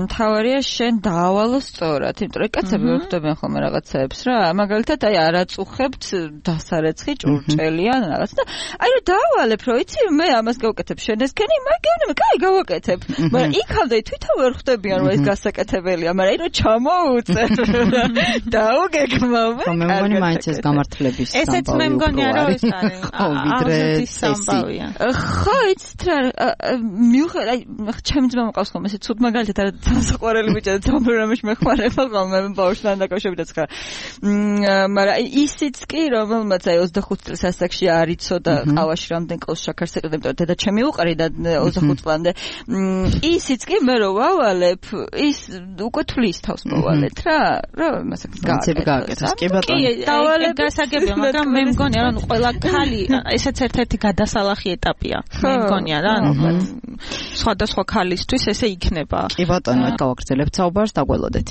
მთავარია შენ დაავალო სწორად, იმიტომ რომ კაცები ვერ ხვდებიან ხოლმე რაღაცებს რა. მაგალითად აი არაწუხებთ დასარეცხი ჭურჭელიან რაღაც და აი რომ დაავალებ რომ იცი მე ამას გავაკეთებ შენ ესქენი მაგევნე მე კაი გავაკეთებ. მაგრამ იქამდე თვითონ ვერ ხვდებიან რომ ეს გასაკეთებელია, მაგრამ აი რომ ჩამოუწერ დაუგეგმავე. მე მგონი მაინც ეს გამართლების სამბავი. ესეც მე მგონია რომ ეს არის. ხო, ვიდრე სამბავია. ხო, იცით რა მიუხედავად აი ჩემი ძმა მყავს ხოლმე ესე ცუდ მაგალითად არა დასაყვარელი ბიჭი და თამბერამში მეხმარება ხოლმე ბავშვთან დაკავშირებით ხარ. მაგრამ ისიც კი რომელმაც აი 25 წლის ასაკში არ იცოდა ყავაში რამდენ კოლოს შაქარს ეყრდნებ და დედა ჩემი უყარი და 25 წლამდე ისიც კი მე რო ვავალებ ის უკვე თulis თავს მოვალეთ რა მასაკ გააკეთეს კი ბატონო დავალებ გასაგებია მაგრამ მე მგონია რომ ყველა ქალი ესეც ერთ-ერთი გადასალახი ეტაპია მე მგონია რა სხვადასხვა ქალისთვის ესე იქნება კი ბატონო გავაგრძელებთ საუბარს დაგველოდეთ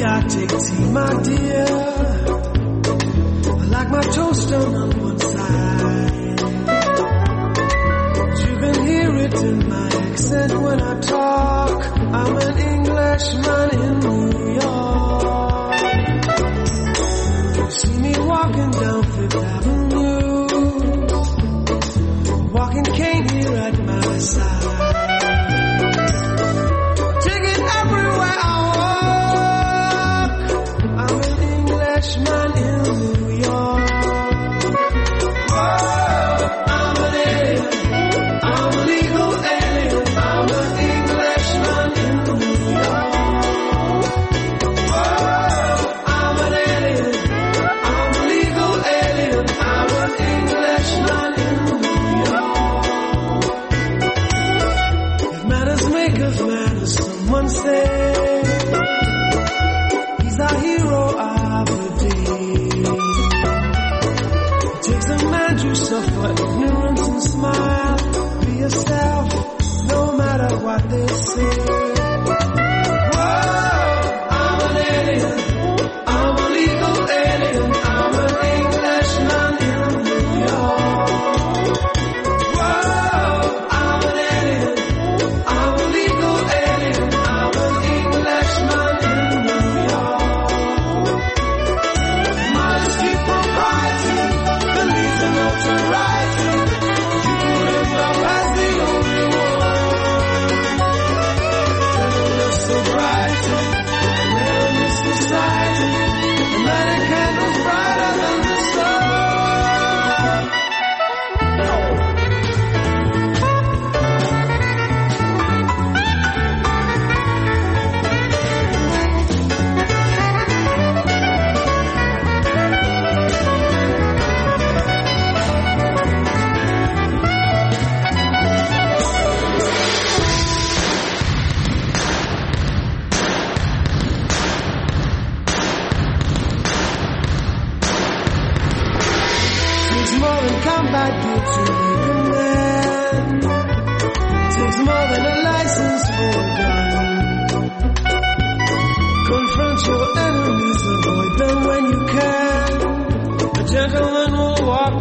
I take tea, my dear. I like my toast on one side. You can hear it in my accent when I talk. I'm an Englishman in New York. You see me walking down Fifth Avenue, walking cane here at my side. Man in New York. I'm an alien. I'm a legal alien. I'm an Englishman in New York. I'm an alien. I'm a legal alien. I'm an Englishman in New York.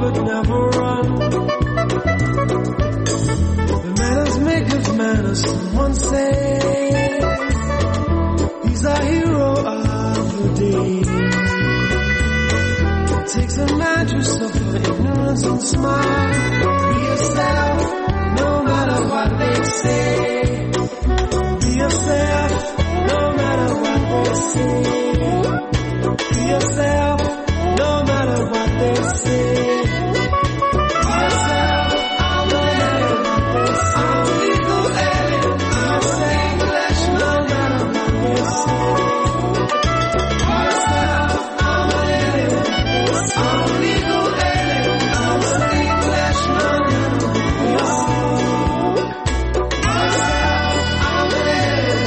but never run. The manners make of manners, someone says. He's a hero of the day. It takes a man to suffer ignorance and smile. Be yourself, no matter what they say. Be yourself, no matter what they say. Be yourself, no matter what they say. Be yourself, no matter what they say. I'm legal alien, I'm saying English, no matter what they say. Be yourself, I'm an alien. I'm legal alien, I'm saying English, no matter what they say. Be yourself, I'm an alien.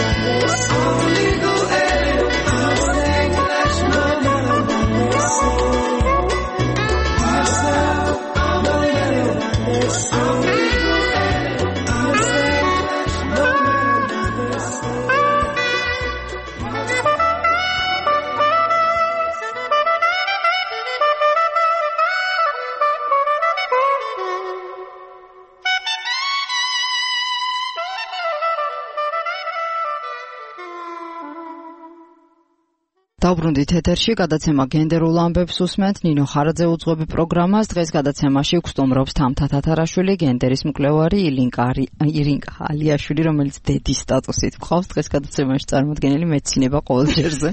I'm legal alien, I'm saying English, no matter what they say. Be yourself, I'm an alien. I'm legal alien, I'm saying English, no matter what they say. დავბრუნდით ეთერში, გადაცემა გენდერულ ამბებს უსმენთ, ნინო ხარაძე უძღვები პროგრამას. დღეს გადაცემაში გვსტუმრობს თამთა თათარაშვილი, გენდერის მკვლევარი, ირინკა ალიაშვილი, რომელიც დედის სტატუსით გვყავს. დღეს გადაცემაში წარმოდგენილი მეცინება ყოველ ჯერზე.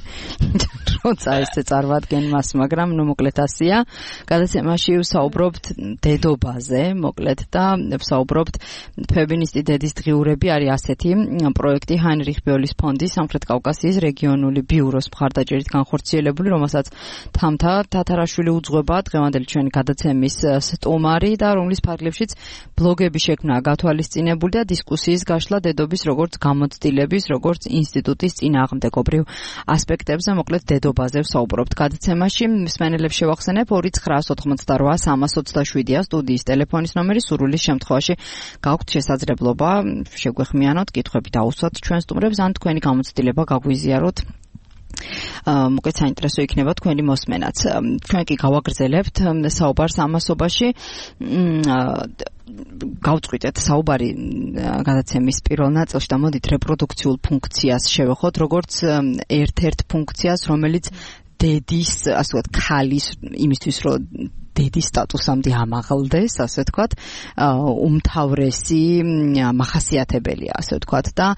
როცა ესე წარვადგენ მას, მაგრამ ნუ მოკლედ ასია. გადაცემაში ვსაუბრობთ დედობაზე, მოკლედ და ვსაუბრობთ ფემინისტი დედის დღიურები არის ასეთი პროექტი ჰაინრიხ ბიოლის ფონდის სამხრეთ კავკასიის რეგიონული ბიუროს მხარდაჭერით განხორციელებული, რომელსაც თამთა თათარაშვილი უძღვება, დღევანდელი ჩვენი გადაცემის სტუმარი და რომლის ფარგლებშიც ბლოგები შექმნა გათვალისწინებული და დისკუსიის გაშლა დედობის როგორც გამოცდილების, როგორც ინსტიტუტის წინააღმდეგობრივ ასპექტებზე, მოკლედ დედობაზე ვსაუბრობთ გადაცემაში. მსმენელებს შევახსენებ 2988327-ია სტუდიის ტელეფონის ნომერი, სურვილის შემთხვევაში გაქვთ შესაძლებლობა შეგვეხმიანოთ, კითხვები დაუსვათ ჩვენ სტუმრებს, ან თქვენი გამოცდილება გაგვიზიაროთ. მოკლედ საინტერესო იქნება თქვენი მოსმენაც. ჩვენ კი გავაგრძელებთ საუბარს ამასობაში. გავწყვიტეთ საუბარი გადაცემის პირველ ნაწილში და მოდით რეპროდუქციულ ფუნქციას შევეხოთ, როგორც ერთ-ერთ ფუნქციას, რომელიც დედის, ასე ვთქვათ, ქალის იმისთვის, რომ დედის სტატუსამდე ამაღლდეს, ასე ვთქვათ, უმთავრესი მახასიათებელია, ასე ვთქვათ, და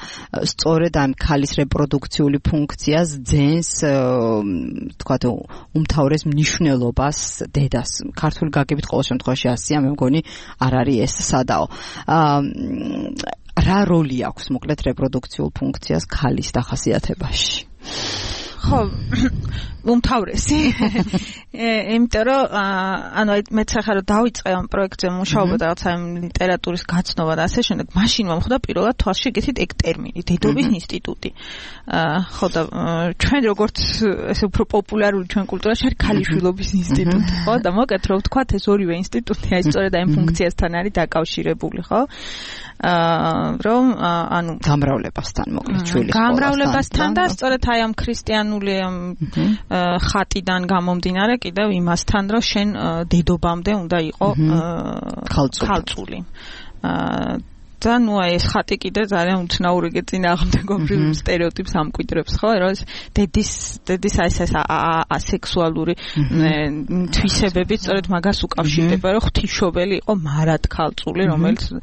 სწორედ ამ ქალის რეპროდუქციული ფუნქციას ძენს, ვთქვათ, უმთავრეს მნიშვნელობას დედას. ქართული გაგებით ყოველ შემთხვევაში ასია, მე მგონი არ არის ეს სადაო. რა როლი აქვს მოკლედ რეპროდუქციულ ფუნქციას ქალის დახასიათებაში? ხო, უმთავრესი. იმიტომ რომ ანუ მეც ახლა რომ დავიწყე ამ პროექტზე მუშაობა და რაღაცა ლიტერატურის გაცნობა და ასე შემდეგ, მაშინ მომხდა პირველად თვალში გითით ეგ ტერმინი, დედობის ინსტიტუტი. ხო და ჩვენ როგორც ესე უფრო პოპულარული ჩვენ კულტურაში არის ქალიშვილობის ინსტიტუტი, ხო? და მოკეთ რომ ვთქვათ, ეს ორივე ინსტიტუტი აი სწორედ ამ ფუნქციასთან არის დაკავშირებული, ხო? რომ ანუ გამრავლებასთან მოკლედ ჩვილი გამრავლებასთან და სწორედ აი ამ ქრისტიანული ხატიდან გამომდინარე კიდევ იმასთან, რომ შენ დედობამდე უნდა იყო ქალწული. და ნუ აი ეს ხატი კიდე ძალიან უცნაური წინააღმდეგობრივ სტერეოტიპს ამკვიდრებს, ხო? რომ ეს დედის აი ეს ასექსუალური თვისებები სწორედ მაგას უკავშირდება, რომ ღვთისმშობელი იყო მარად ქალწული, რომელიც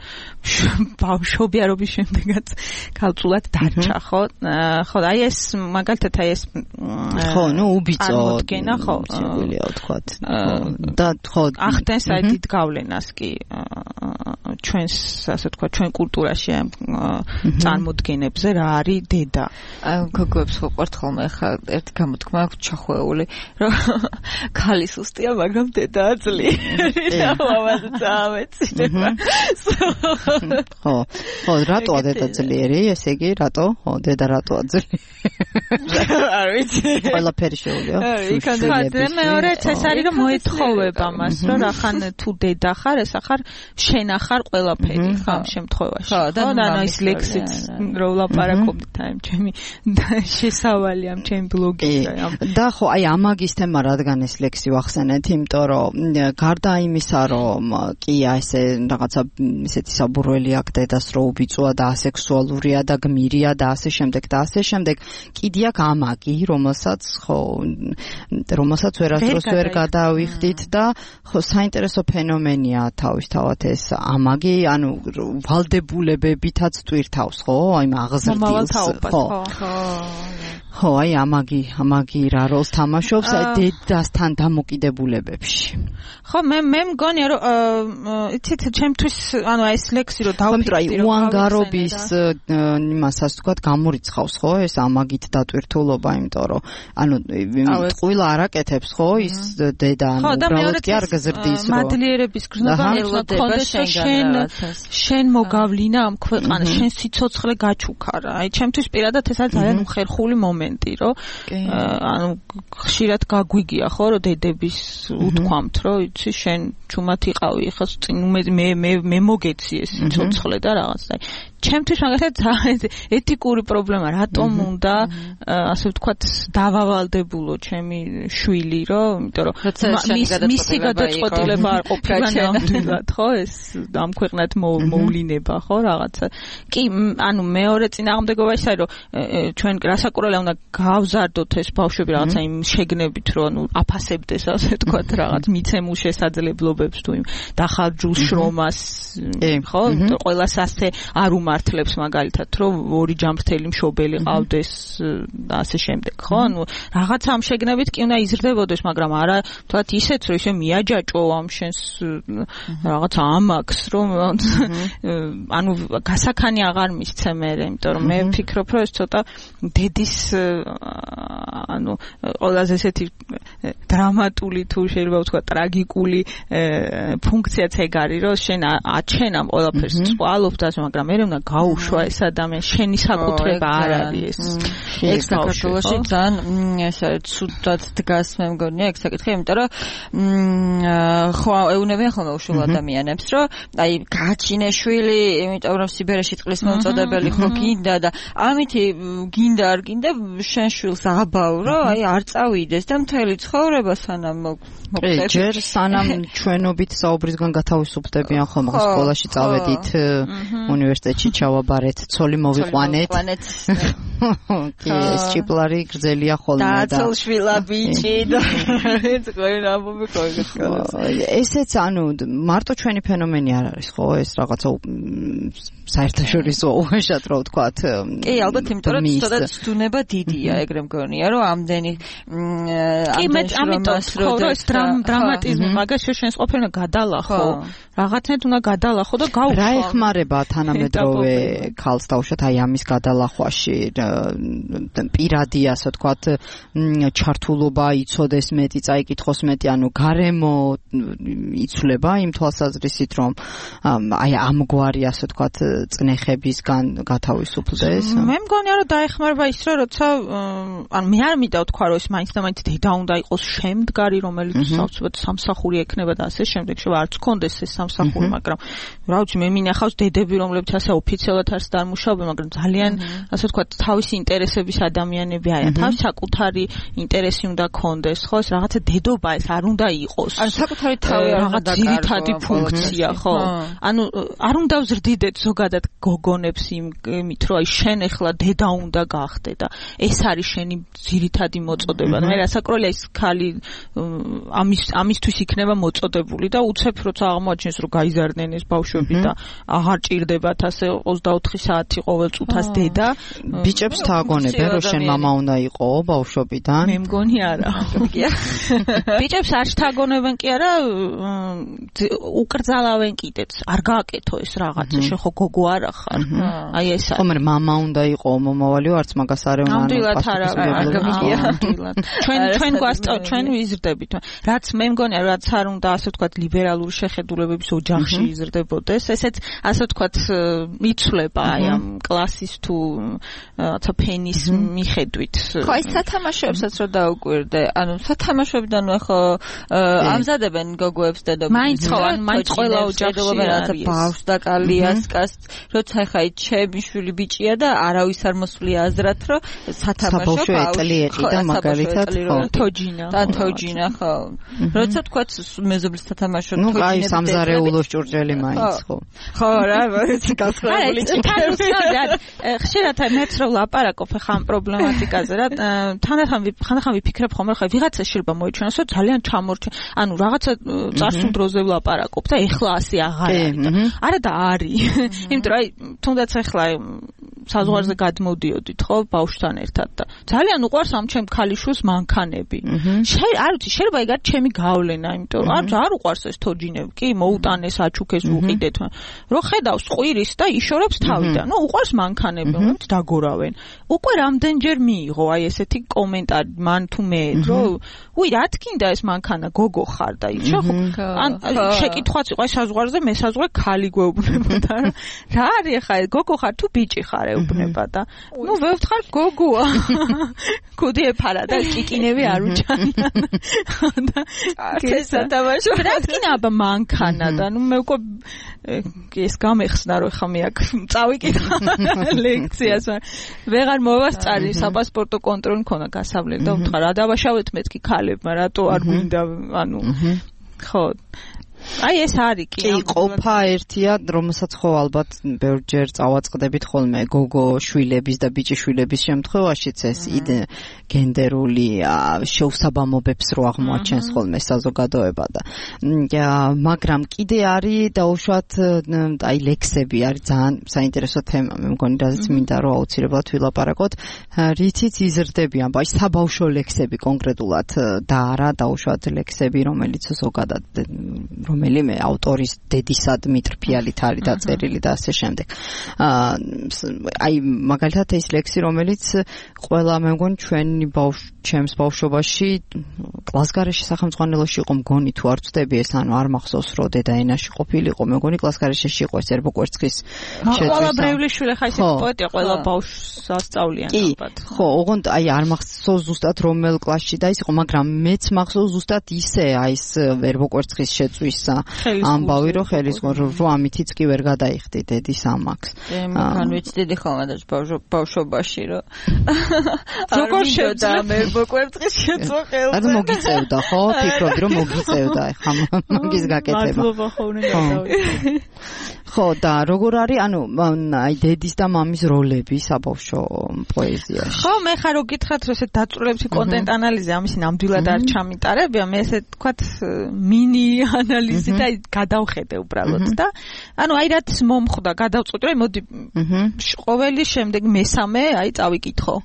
ბავშვობიარობის შემდეგაც ქალწულად დარჩა, ხო? ხო, აი ეს მაგალითად აი ეს ხო, ნუ უბიწო წარმოდგენა, ხო? შეგვიძლია ვთქვათ. და ხო, ახდენს აი დიდ გავლენას კი ჩვენს, ასე ვთქვათ, ჩვენ კულტურაში ამ წარმოდგენებზე რა არის დედა. გოგოებს ვყვართ ხოლმე, ხა ერთი გამოთქმა აქვს ჩახვეული, რომ ქალი სუსტია, მაგრამ დედა ძლიერი. ამაზე წამეწინება. ხო, რატოა დედა ძლიერი? ესე იგი, რატო? ხო, დედა რატოა ძლიერი? არ ვიცი. ყველაფერი შეუძლია. იქამდე მეორეც ეს არის, რომ მოეთხოვება მას, რომ რახან თუ დედა ხარ, ეს ახარ შენ ახარ ყველაფერი ხა ამ შემთხვევაში. ხო, და ის ლექსიც რო ვლაპარაკობდით აი ჩემი შესავალი ამ ჩემი ბლოგისა. და ხო, აი ამაგის თემა რადგან ეს ლექსი ვახსენეთ, იმიტომ რომ გარდა იმისა, რომ კი ესე რაღაცა ისეთი საბურველი აქ დედას რო უბიწოა და ასექსუალურია და გმირია და ასე შემდეგ და ასე შემდეგ, კიდე აქ ამაგი, რომელსაც ვერასდროს ვერ გადავიხდით და ხო საინტერესო ფენომენია თავისთავად ეს ამაგი, ანუ ვალდებულებებითაც ტვირთავს, ხო, აი აღზრდილს, ხო, აი ამაგი რა როლს თამაშობს აი დედასთან დამოკიდებულებებში. ხო, მე მგონია რომ იცით ჩემთვის ანუ ეს ლექსი რომ დავფიქრდი აი უანგარობის იმასაც თქვა გამორიცხავს, ხო, ეს ამაგით დატვირთულობა, იმიტომ რომ ანუ ტყუილა არაკეთებს, ხო, ის დედა ანუ უბრალოდ კი არ გზრდის რომ მადლიერების გრძნობა მოგონდეს შენ მოგავლინა ამ ქვეყანას, შენ სიცოცხლე გაჩუქარა. აი ჩემთვის პირადად ეს არის ძალიან უხერხული მომენტი, რომ ანუ ხშირად გაგვიგია, ხო, რომ დედების უთქვამთ, რომ იცი შენ ჩუმად იყავი, ხა წინ მე მოგეციე სიცოცხლე და რაღაც. აი ჩემთვის მაგალითად ეთიკური პრობლემა რატომ უნდა ასე ვთქვათ დავავალდებულო ჩემი შვილი რომ იმიტომ რომ მისი გადაწყვეტილება არ ყოფილა ნამდვილად ხო ეს ამ ქვეყნად მოვლინება ხო რაღაცა კი ანუ მეორე წინააღმდეგობაში არის რომ ჩვენ რასაკურველია უნდა გავზარდოთ ეს ბავშვები რაღაცა იმ შეგნებით რომ ანუ აფასებდეს ასე ვთქვათ რაღაც მიცემულ შესაძლებლობებს თუ იმ დახარჯულ შრომას ხო ყველას ასე არ მართლებს მაგალითად რომ ორი ჯამრთელი მშობელი ყავდეს და ასე შემდეგ ხო ანუ რაღაცა ამ შეგნებით კი უნდა იზრდებოდეს მაგრამ არა თქვათ ისეთ რომ ისე მიაჯაჭო ამ შენს რაღაც ამაკს რომ ანუ გასახანი აღარ მისცე მე იმიტომ რომ მე ვფიქრობ რომ ეს ცოტა დედის ანუ ყველაზე ესეთი დრამატული თუ შეიძლება ვთქვა ტრაგიკული ფუნქციაც ეგ არის რომ შენ აჩენ ამ ყველაფერს წვალობ და მაგრამ მე უნდა გაუშვა ეს ადამიანი შენი საკუთრება არ არის ეს საქართველოში ძალიან ესე ცუდად დგას მე მგონია ეგ საკითხი იმიტომ რომ ხო ეუნებიან ხოლმე უშულ ადამიანებს რომ აი გაჩინეშვილი იმიტომ რომ სიბერეში წყლის მოუწოდებელი ხო გინდა და ამითი გინდა არ გინდა შენ შვილს აბავრო აი არ წავიდეს და მთელი ცხოვრება სანამ მოხდეს ჯერ სანამ ჩვენობით საუბრისგან გათავისუფლდებიან ხოლმე სკოლაში წავედით უნივერსიტეტში ჩავაბარეთ ცოლი მოვიყვანეთ კი ეს ჭიპლარი გრძელია ხოლმე და დაცოლშვილა ბიჭი და ეს ამბობი ესეც ანუ მარტო ჩვენი ფენომენი არ არის ხო ეს რაღაცა საერთაშორისო უხეშად რო ვთქვათ კი ალბათ იმიტომ რომ ცოტა ცდუნება დიდია ეგრე მგონია რომ ამდენი კი მე ამიტომ ხო რომ ეს დრამატიზმი მაგაში შენს ყოფილი გადალახო რაღაცნაირად უნდა გადალახო და გაუშვო რა ეხმარება თანამედროვე ქალს დაუშვათ აი ამის გადალახვაში პირადი ასე ვთქვათ ჩართულობა იცოდეს მეტი წაიკითხოს მეტი ანუ გარემო იცვლება იმ თვალსაზრისით რომ აი ამგვარი ასე ვთქვათ წნეხებისგან გათავისუფლდეს მე მგონია რომ დაეხმარება ის რომ როცა ანუ მე არ მინდა ვთქვა რომ ეს მაინც და მაინც დედა უნდა იყოს შემდგარი რომელიც საოცრად სამსახური ექნება და ასე შემდეგ შევა არც კონდეს ეს სამსახური მაგრამ რა ვიცი მე მინახავს დედები რომლებიც ასე ოფიციალურად არც არ მუშაობენ მაგრამ ძალიან ასე ვთქვათ თავისი ინტერესების ადამიანები არიან თავის საკუთარი ინტერესი უნდა კონდეს ხო ეს რაღაცა დედობა ეს არ უნდა იყოს ან საკუთარი თავი არ უნდა დაკარგო ძირითადი ფუნქცია ხო ანუ არ უნდა ვზრდიდეთ ზოგადად გოგონებს იმით რომ აი შენ ახლა დედა უნდა გახდე და ეს არის შენი ძირითადი მოწოდება მე რასაკურველია ის ქალი ამისთვის იქნება მოწოდებული და უცებ როცა აღმოაჩენს რომ გაიზარდნენ ეს ბავშვები და აღარ ჭირდებათ ასე 24 საათი ყოველ წუთას დედა ბიჭებს თაგონებენ რომ შენ მამა უნდა იყო ბავშვობიდან მე მგონი არა ბიჭებს არ თაგონებენ კი არა უკრძალავენ კიდეც არ გააკეთო ეს რაღაცა შენ ხო გოგო არ ხარ აი ეს ხომ მამა უნდა იყო მომავალიო არც მაგას არ ეუნა ნამდვილად არა ჩვენ ვიზრდებით რაც მე მგონია რაც არ უნდა ასე ვთქვათ ლიბერალური შეხედულებების ოჯახში იზრდებოდეს ესეც ასე ვთქვათ იცვლება აი ამ კლასის თუ რაღაცა ფენის მიხედვით. ხო, აი სათამაშოებსაც რო დაუკვირდე, ანუ სათამაშოებიდან ხო ამზადებენ გოგოებს დედოფლებს. მაინც ყველა ოჯახში რაღაცა ბავშვს და კალიასკას, როცა ხა ჩემი შვილი ბიჭია და არავის არ მოსვლია აზრად, რომ სათამაშო ბავშვი და მაგალითად თოჯინა. და თოჯინა ხო. როცა თქვა მეზობლის სათამაშო თოჯინები. ნუ აი სამზარეულოს ჭურჭელი მაინც ხო. ხო რა, ვიცი გასწავლილი. ხშირად მეც რო ლაპარაკობ ხა ამ პრობლემატიკაზე რა ხანდახან ვიფიქრებ ხოლმე ხა ვიღაცა შეიძლება მოიჩვენოს რომ ძალიან ჩამორჩენ ანუ რაღაცა წარსულ დროზე ვლაპარაკობ და ეხლა ასე აღარ არის არა და არის იმიტომ რომ აი თუნდაც ეხლა საზღვარზე გადმოდიოდით ხო ბავშვთან ერთად და ძალიან უყვარს ამ ჩემ ქალიშვილს მანქანები არ ვიცი შეიძლება ეგ არის ჩემი გავლენა იმიტომ არ უყვარს ეს თოჯინები კი მოუტანეს აჩუქეს უყიდეთ რომ ხედავს ყვირის და იშორებს თავიდან ნუ უყვარს მანქანები რომელიც დაგორავენ უკვე რამდენჯერ მიიღო აი ესეთი კომენტარი მან თუ მე რომ უი რა თქინდა ეს მანქანა გოგო ხარ და იცი ხო ან შეკითხვაც იყო აი საზღვარზე მე საზღვარი ქალი გვეუბნებოდა რა არის ხა გოგო ხარ თუ ბიჭი ხარ ეუბნება და ნუ ვევთხარ გოგოა კუდი ეფარა და ჭიკინები არ უჩანიან და სათამაშო რა თქინა აბა მანქანა და ნუ მე უკვე ეს გამეხსნა რომ ხა მე აქ წავიკითხა ლექციას ვეღარ მოვასწარი საპასპორტო კონტროლი მქონდა გასავლელი და ვთქვა რა დავაშავეთ მეთქი ქალებმა რატო არ გვინდა ანუ ხო აი ეს არის კი ყოფა ერთია რომელსაც ხო ალბათ ბევრჯერ წავაწყდებით ხოლმე გოგო შვილების და ბიჭი შვილების შემთხვევაშიც ეს გენდერული შეუსაბამობებს რო აღმოაჩენს ხოლმე საზოგადოება და მაგრამ კიდე არის დაუშვათ აი ლექსები არის ძალიან საინტერესო თემა მე მგონი რაზეც მინდა რომ აუცილებლად ვილაპარაკოთ რითიც იზრდებიან აი საბავშვო ლექსები კონკრეტულად და არა დაუშვათ ლექსები რომელიც ზოგადად რომელიმე ავტორის დედისა დმიტრი ფიალით არის დაწერილი და ასე შემდეგ. აი მაგალითად ეს ლექსი რომელიც ყველა მე მგონი ჩვენი ჩემს ბავშვობაში კლასგარეში სახელმწიფოში იყო მგონი თუ არ ვწდები ეს ანუ არ მახსოვს რომ დედაენაში ყოფილიყო მე მგონი კლასგარეში იყო ეს ერბო კვერცხის შეწყვეტა. ყველა ბრევლიშვილი ხა ისეთი პოეტია ყველა ბავშვს ასწავლიან ალბათ. ხო, ოღონდ აი არ მახსოვს ზუსტად რომელ კლასში და ის იყო მაგრამ მეც მახსოვს ზუსტად ისე აი ეს ერბო კვერცხის შეწვის ამბავი რომ ხელისგან რომ ამითიც კი ვერ გადაიხდი დედის ამაკს. მან ვიცდიდი ხოლმე და ბავშვობაში რომ როგორ შევდა მე კვერცხის შეწვა ხელზე. ანუ მოგიწევდა ხო? ფიქრობდი რომ მოგიწევდა ხა მაგის გაკეთება. მადლობა ხოლმე გადავიდე. ხო და როგორ არის ანუ აი დედის და მამის როლები საბავშვო პოეზიაში. ხო მე ხარ რო გითხრათ რომ ესე დაწვრილების კონტენტ ანალიზი ამისი ნამდვილად არ ჩამიტარებია მე ესე თქვათ მინი ანალიზი და გადავხედე უბრალოდ და ანუ აი რაც მომხვდა გადავწყვიტე რომ მოდი ყოველი შემდეგ მესამე აი წავიკითხო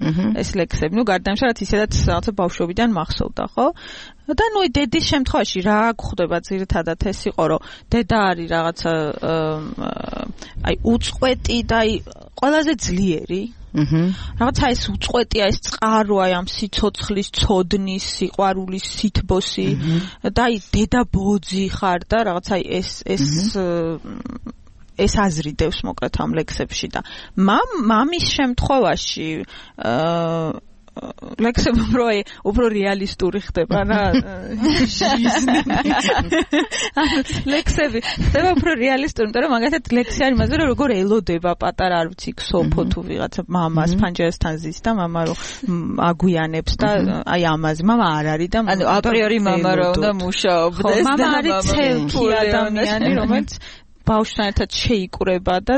ეს ლექსები ნუ გარდა იმისა რაც ისედაც რაღაცა ბავშვობიდან მახსოვდა ხო და ნუ დედის შემთხვევაში რა გვხვდება ძირითადად ეს იყო რომ დედა არის რაღაცა აი უწყვეტი და აი ყველაზე ძლიერი რაღაცა ეს უწყვეტია ეს წყარო აი ამ სიცოცხლის ცოდნის სიყვარულის სითბოსი და აი დედა ბოძი ხარ და რაღაცა აი ეს აზრიდევს მოკლედ ამ ლექსებში და მამის შემთხვევაში ლექსები უფრო რეალისტური ხდება რა ლექსები ხდება უფრო რეალისტური იმიტომ რომ მაგალითად ლექსი არის იმაზე რომ როგორ ელოდება პატარა არ ვიცი ქსოფო თუ ვიღაცა მამას ფანჯერასთან ზის და მამა რომ აგვიანებს და აი ამაზე მამა არ არის და ანუ აპრიორი მამა რა უნდა მუშაობდეს მამა არის ცელკი ადამიანი რომელიც ბავშვთან ერთად შეიკრება და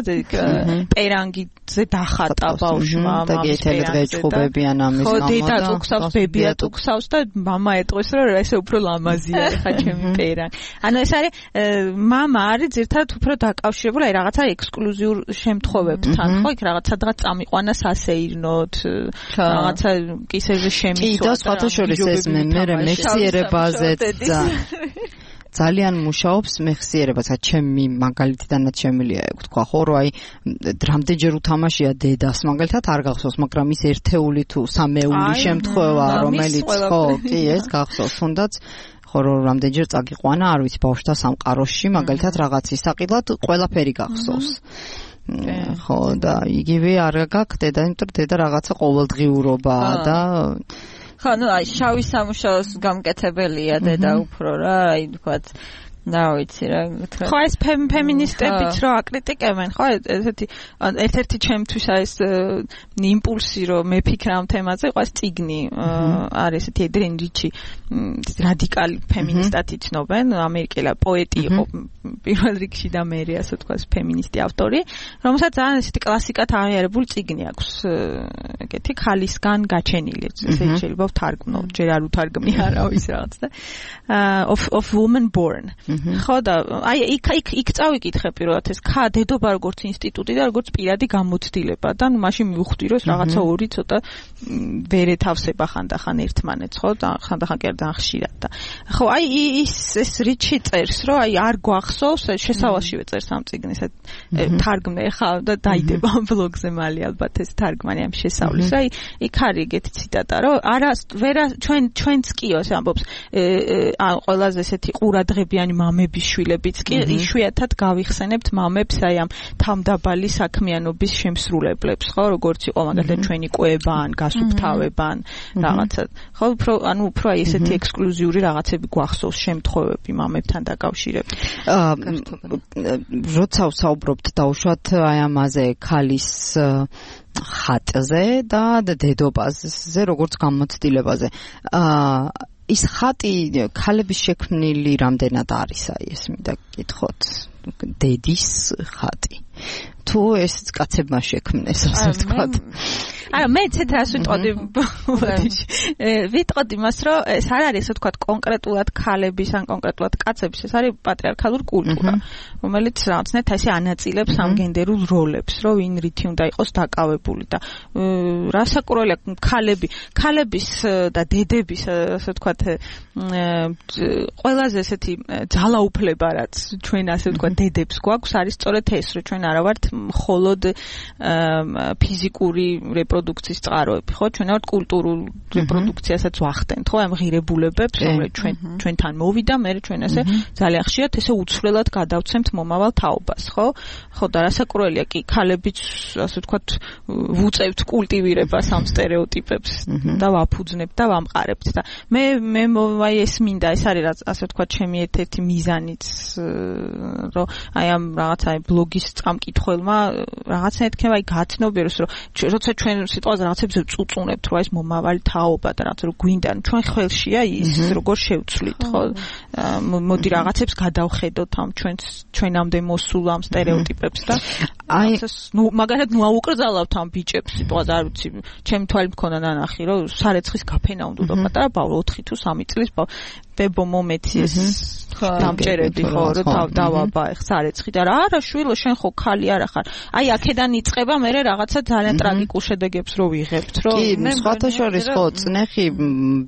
პერანგიზე დახატა ბავშვმა და გეთელეთ გეჭუბებიან ამის გამო და ხო დედა ტუქსავს ბებია ტუქსავს და მამა ეტყვის რომ ესე უფრო ლამაზია ხა ჩემი პერანგი ანუ ეს არის მამა არის ზირთად უფრო დაკავშირებული აი რაღაცა ექსკლუზიურ შემთხვევებთან ხო იქ რაღაც სადღაც წამიყვანა სასეირნოთ რაღაცა კისერზე შემიცვა და სხვათა შორის ეს მე მეხსიერებაზეც ძალიან მუშაობს მეხსიერებასაც ჩემი მაგალითიდანაც შემილია თქვა ხო რომ აი რამდენჯერ უთამაშია დედას მაგალითად არ გახსოვს მაგრამ ის ერთეული თუ სამეული შემთხვევა რომელიც ხო კი ეს გახსოვს თუნდაც ხო რომ რამდენჯერ წაგიყვანა არ ვიცი ბავშვთა სამყაროში მაგალითად რაღაც ისაყიდლად ყველაფერი გახსოვს ხო და იგივე არ გაგხდება, იმიტომ რომ დედა რაღაცა ყოველდღიურობაა და ხო, ნუ აი შავი სამუშაოს გამკეთებელია დედა უფრო რა, აი თქვათ და ვიცი რა ხო ეს ფემინისტებიც რო აკრიტიკებენ ხო ერთ-ერთი ჩემთვის ეს იმპულსი რომ მეფიქრა ამ თემაზე ყავს წიგნი არის ესეთი ედრენ რიჩი რადიკალი ფემინისტად იცნობენ ამერიკელი პოეტი იყო პირველ რიგში და მე ასე ვთქვას ფემინისტი ავტორი რომელსაც ძალიან ესეთი კლასიკად აღიარებული წიგნი აქვს ეგეთი ხალისგან გაჩენილი შეიძლება ვთარგმნო ჯერ არ უთარგმნი არავის რაღაც და of woman born ხო და აი იქ წავიკითხე პირველად ეს დედობა როგორც ინსტიტუტი და როგორც პირადი გამოცდილება და ნუ მაშინ მივხვდი რომ რაღაცა ორი ცოტა ვერ ეთავსება ხანდახან ერთმანეთს ხო და ხანდახან კი არ ხშირად და ხო აი ეს რიჩი წერს რომ აი არ გვახსოვს შესავალშივე წერს ამ წიგნის თარგმნე ხა და დაიდება ამ ბლოგზე მალე ალბათ ეს თარგმანი ამ შესავლის აი იქ არის ეგეთი ციტატა რომ არა ვერა ჩვენც კი ეს ამბობს ყველაზე ესეთი ყურადღებიანი მამების შვილებიც კი იშვიათად გავიხსენებთ მამებს აი ამ თამდაბალი საქმიანობის შემსრულებლებს ხო როგორც იყო მაგალითად ჩვენი კვებან გასუფთავებან რაღაცა ხო უფრო აი ესეთი ექსკლუზიური რაღაცები გვახსოვს შემთხვევები მამებთან დაკავშირებით როცა ვსაუბრობთ დაუშვათ აი ამაზე ქალის ხატზე და დედობაზე როგორც გამოცდილებაზე ის ხატი ქალების შექმნილი რამდენად არის აი ეს მინდა გითხოთ დედის ხატი თუ ეს კაცებმა შექმნეს ასე ვთქვათ აი მე ცეთ რას ვიტყოდი ვიტყოდი მას რომ ეს არ არის ასე ვთქვათ კონკრეტულად ქალების ან კონკრეტულად კაცების ეს არის პატრიარქალური კულტურა რომელიც რაღაცნაირად ესე ანაწილებს ამ გენდერულ როლებს რომ ვინ რითი უნდა იყოს დაკავებული და რასაკურველია ქალების და დედების ასე ვთქვათ ყველაზე ესეთი ძალაუფლება რაც ჩვენ ასე ვთქვათ დედებს გვაქვს არის სწორედ ეს რომ ჩვენ არა ვართ მხოლოდ ფიზიკური რეპროდუქციის წყაროები, ხო? ჩვენ ვართ კულტურულ რეპროდუქციასაც ვახდენთ, ხო? ამ ღირებულებებს, რომელიც ჩვენთან მოვიდა, მე ჩვენ ასე ძალიან ხშირად ესე უცვლელად გადავცემთ მომავალ თაობას, ხო? ხო და რასაკურველია კი ქალებიც ასე ვთქვათ ვუწევთ კულტივირებას ამ სტერეოტიპებს და ვაფუძნებთ და ვამყარებთ და მე აი ეს მინდა, ეს არის ასე ვთქვათ ჩემი ერთ-ერთი მიზანიც, რომ აი ამ რაღაცა ბლოგის წამკითხველმა რაღაცა ეთქება აი გაცნობიეროს რომ როცა ჩვენ სიტყვაზე რაღაცებზე წუწუნებთ რომ ეს მომავალი თაობა და რაღაც რომ გვინდა ჩვენ ხელშია ის როგორ შევცვლით ხო მოდი რაღაცებს გადავხედოთ ამ ჩვენამდე მოსულ ამ სტერეოტიპებს და აი ნუ მაგალითად ნუ აუკრძალავთ ამ ბიჭებს სიტყვაზე არ ვიცი ჩემი თვალი მქონდა ნანახი რომ სარეცხის გაფენა უნდა პატარა ბავშვი 4 თუ 3 წლის ბებო მომეცი ეს დამჭერები ხო რომ დავაბა ეხ სარეცხი და არა შვილო შენ ხო ხალი არა ხარ აი აქედან იწყება მე რაღაცა ძალიან ტრაგიკულ შედეგებს რო ვიღებთ რომ კი სხვათა შორის ხო წნეხი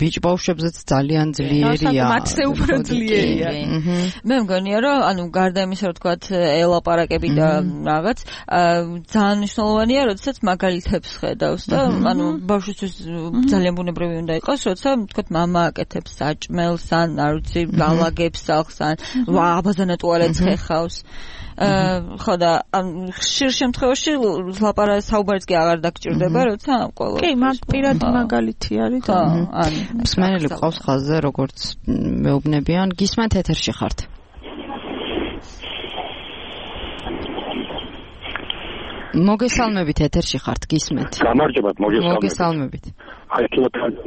ბიჭ ბავშვებზეც ძალიან ძლიერია მათზე უფრო ძლიერია მე მგონია რომ ანუ გარდა იმისა რომ თქვათ ელაპარაკები და რაღაც ძალიან მნიშვნელოვანია როდესაც მაგალითებს ხედავს და ანუ ბავშვისთვის ძალიან ბუნებრივი უნდა იყოს როცა თქვათ მამა აკეთებს საჭმელს ან არ ვიცი გალაგებს სახს ან აბაზანა ტუალეტს ხეხავს ხო და ხშირ შემთხვევაში საუბარიც კი აღარ დაგჭირდება როცა ყველა კი მაგ პირადი მაგალითი არის და მსმენელი ყავს ხაზზე როგორც მეუბნებიან გისმენთ ეთერში ხართ მოგესალმებით ეთერში ხართ გისმენთ გამარჯობათ მოგესალმებით აი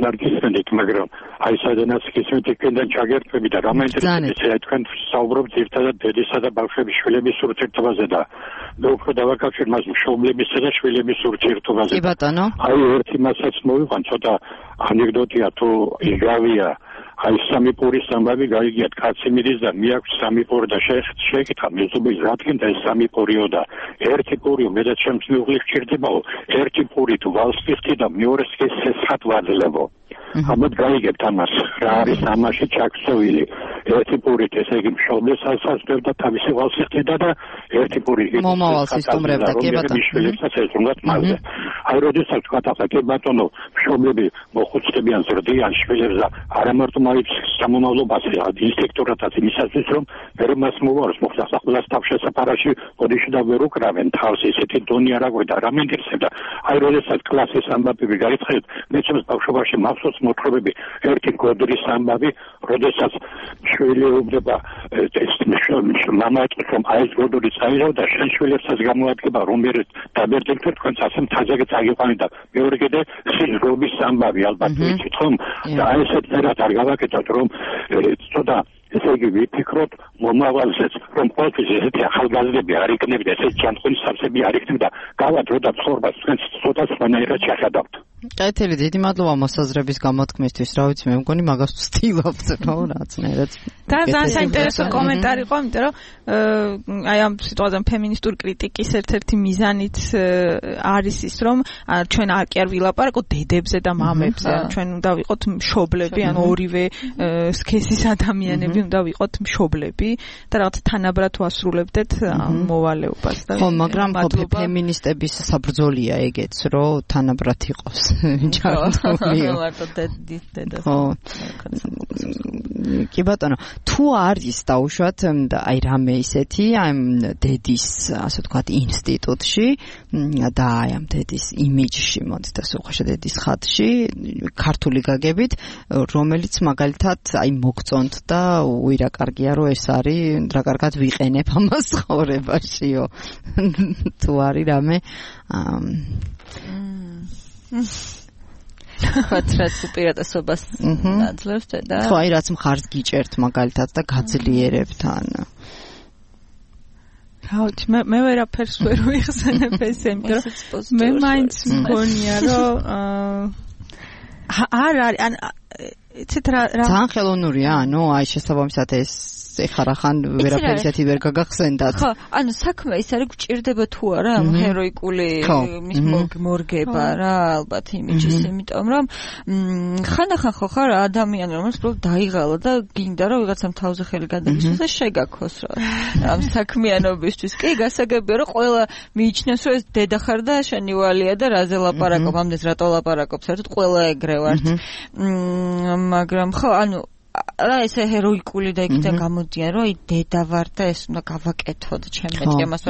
ნარგისენით მაგრამ აი სადანაც გისმენთ იქიდან ჩაგერთვები და რამაინტერესებია თქვენ საუბრობთ ერთადად დედისა და ბავშვების შვილების ურთიერთობაზე და უფრო დავაკავშირ მას მშობლებისა და შვილების ურთიერთობაზე კი ბატონო აი ერთი მასაც მოვიყვან ცოტა ანეკდოტია თუ იგავია აი სამი პურის ამბავი გაიგიათ კაცი მიდის და მიაქვს სამი პური და შეეკითხა მეზობლის რადგან და ეს სამი პურიო და ერთი პურიო მეტად შემცვლელი გჭირდებაო ერთი პური თუ ვალს ფიხდი და მეორეს კი სესხად ვაძლებო ამოდ გაიგებთ ამას რა არის ამაში ჩაქცევილი ერთი პურით ესე იგი მშობლებს ასაცდევდა თავისი ვალსიხდიდა და ერთი პური მომავალს ისტუმრებდა კი ბატონო მიშველებსაც ეზრუნგათ მასზე აი როდესაც თქვა ახლა კი ბატონო მშობლები მოხუცდებიან ზრდიან შვილებს და არა მარტო მაინც სამომავლობაზე ინსტინქტურათაც იმისათვის რომ ვერ მას მოვარს მოხდა სახელას თავშესაფარაში ოდიში და ვერ უკრავენ თავს ისეთი დონი არ აგვედა რა მენდირსებდა აი როდესაც კლასის ამბავები გაიწყეთ მეცემს ბავშვობაში მახსოვს მოთხრობები ერთი გოდრის ამბავი როდესაც შვილი უბდება ეს მამა ეტყვის რომ აი ეს გოდური წაიღო და შენ შვილებსაც გამოადგება რომ მე დაბერდებით თქვენც ასე მთაზე წაიყვანე და მეორე კიდე სიზრობის ამბავი ალბათ ვიცით ხომ და აი ესეთ წერას არ გავაკეთოთ რომ ცოტა ესე იგი ვიფიქროთ მომავალზეც რომ ყოველთვის ესეთი ახალგაზრდები არ იქნებოდა ესეთი ჯანმრთელი სამსები არ იქნებოდა გავადრო და ცხოვრებას თქვენ ცოტა სხვანაირად შეხედავთ კეთილი დიდი მადლობა მოსაზრების გამოთქმისთვის რა ვიცი მე მგონი მაგას ვცდილობთ რა რაცნაირად და ძალიან საინტერესო კომენტარი იყო იმიტომ რომ აი ამ სიტუაციაზე ფემინისტური კრიტიკის ერთ-ერთი მიზანიც არის ის რომ ჩვენ არ ვილაპარაკოთ დედებზე და მამებზე ჩვენ უნდა ვიყოთ მშობლები ან ორივე სქესის ადამიანები უნდა ვიყოთ მშობლები და რაღაც თანაბრად ვასრულებდეთ მოვალეობას და ხო მაგრამ ფემინისტების საბრძოლია ეგეც რომ თანაბრად იყოს კი ბატონო თუ არის დაუშვათ აი რამე ისეთი აი დედის ასე ვთქვათ ინსტიტუტში და აი ამ დედის იმიჯში მოდით ასე უხეშად დედის ხატში ქართული გაგებით რომელიც მაგალითად აი მოგწონთ და უირა კარგია რომ ეს არის რა კარგად ვიყენებ ამას ცხოვრებაშიო თუ არის რამე ხატრაც უპირატესობას აძლევს და ხო აი რაც მხარს გიჭერთ მაგალითად და გაძლიერებთ ან ხაუთ მე ვერაფერს ვერ ვიხსენებ ესე იმიტომ რომ მე მაინც მგონია რომ არ არის ან იცით რა ძალიან ხელოვნურია ანუ აი შესაბამისად ეს ეხარახან ვერაფერი ისეთი ვერ გაგახსენდათ. ხო, ანუ საქმე ის არის გვჭირდება თუ არა ამ ჰეროიკული მის მორგება რა ალბათ იმიჯის, იმიტომ რომ ხანდახან ხო ხარ ადამიანი რომელიც პრობლემ დაიღალა და გინდა რომ ვიღაცამ თავზე ხელი გადაგისვას და შეგაქოს რა. ამ საქმიანობისთვის კი გასაგებია რომ ყველა მიიჩნევს რომ ეს დედა ხარ და შენი ვალია და რაზე ლაპარაკობ, ამდენს რატო ლაპარაკობ, საერთოდ ყველა ეგრე ვართ. მაგრამ ხო, ანუ რა ესე ჰეროიკული და იქიდან გამოდიან რომ აი დედა ვარ და ეს უნდა გავაკეთო და ჩემ მეჭემას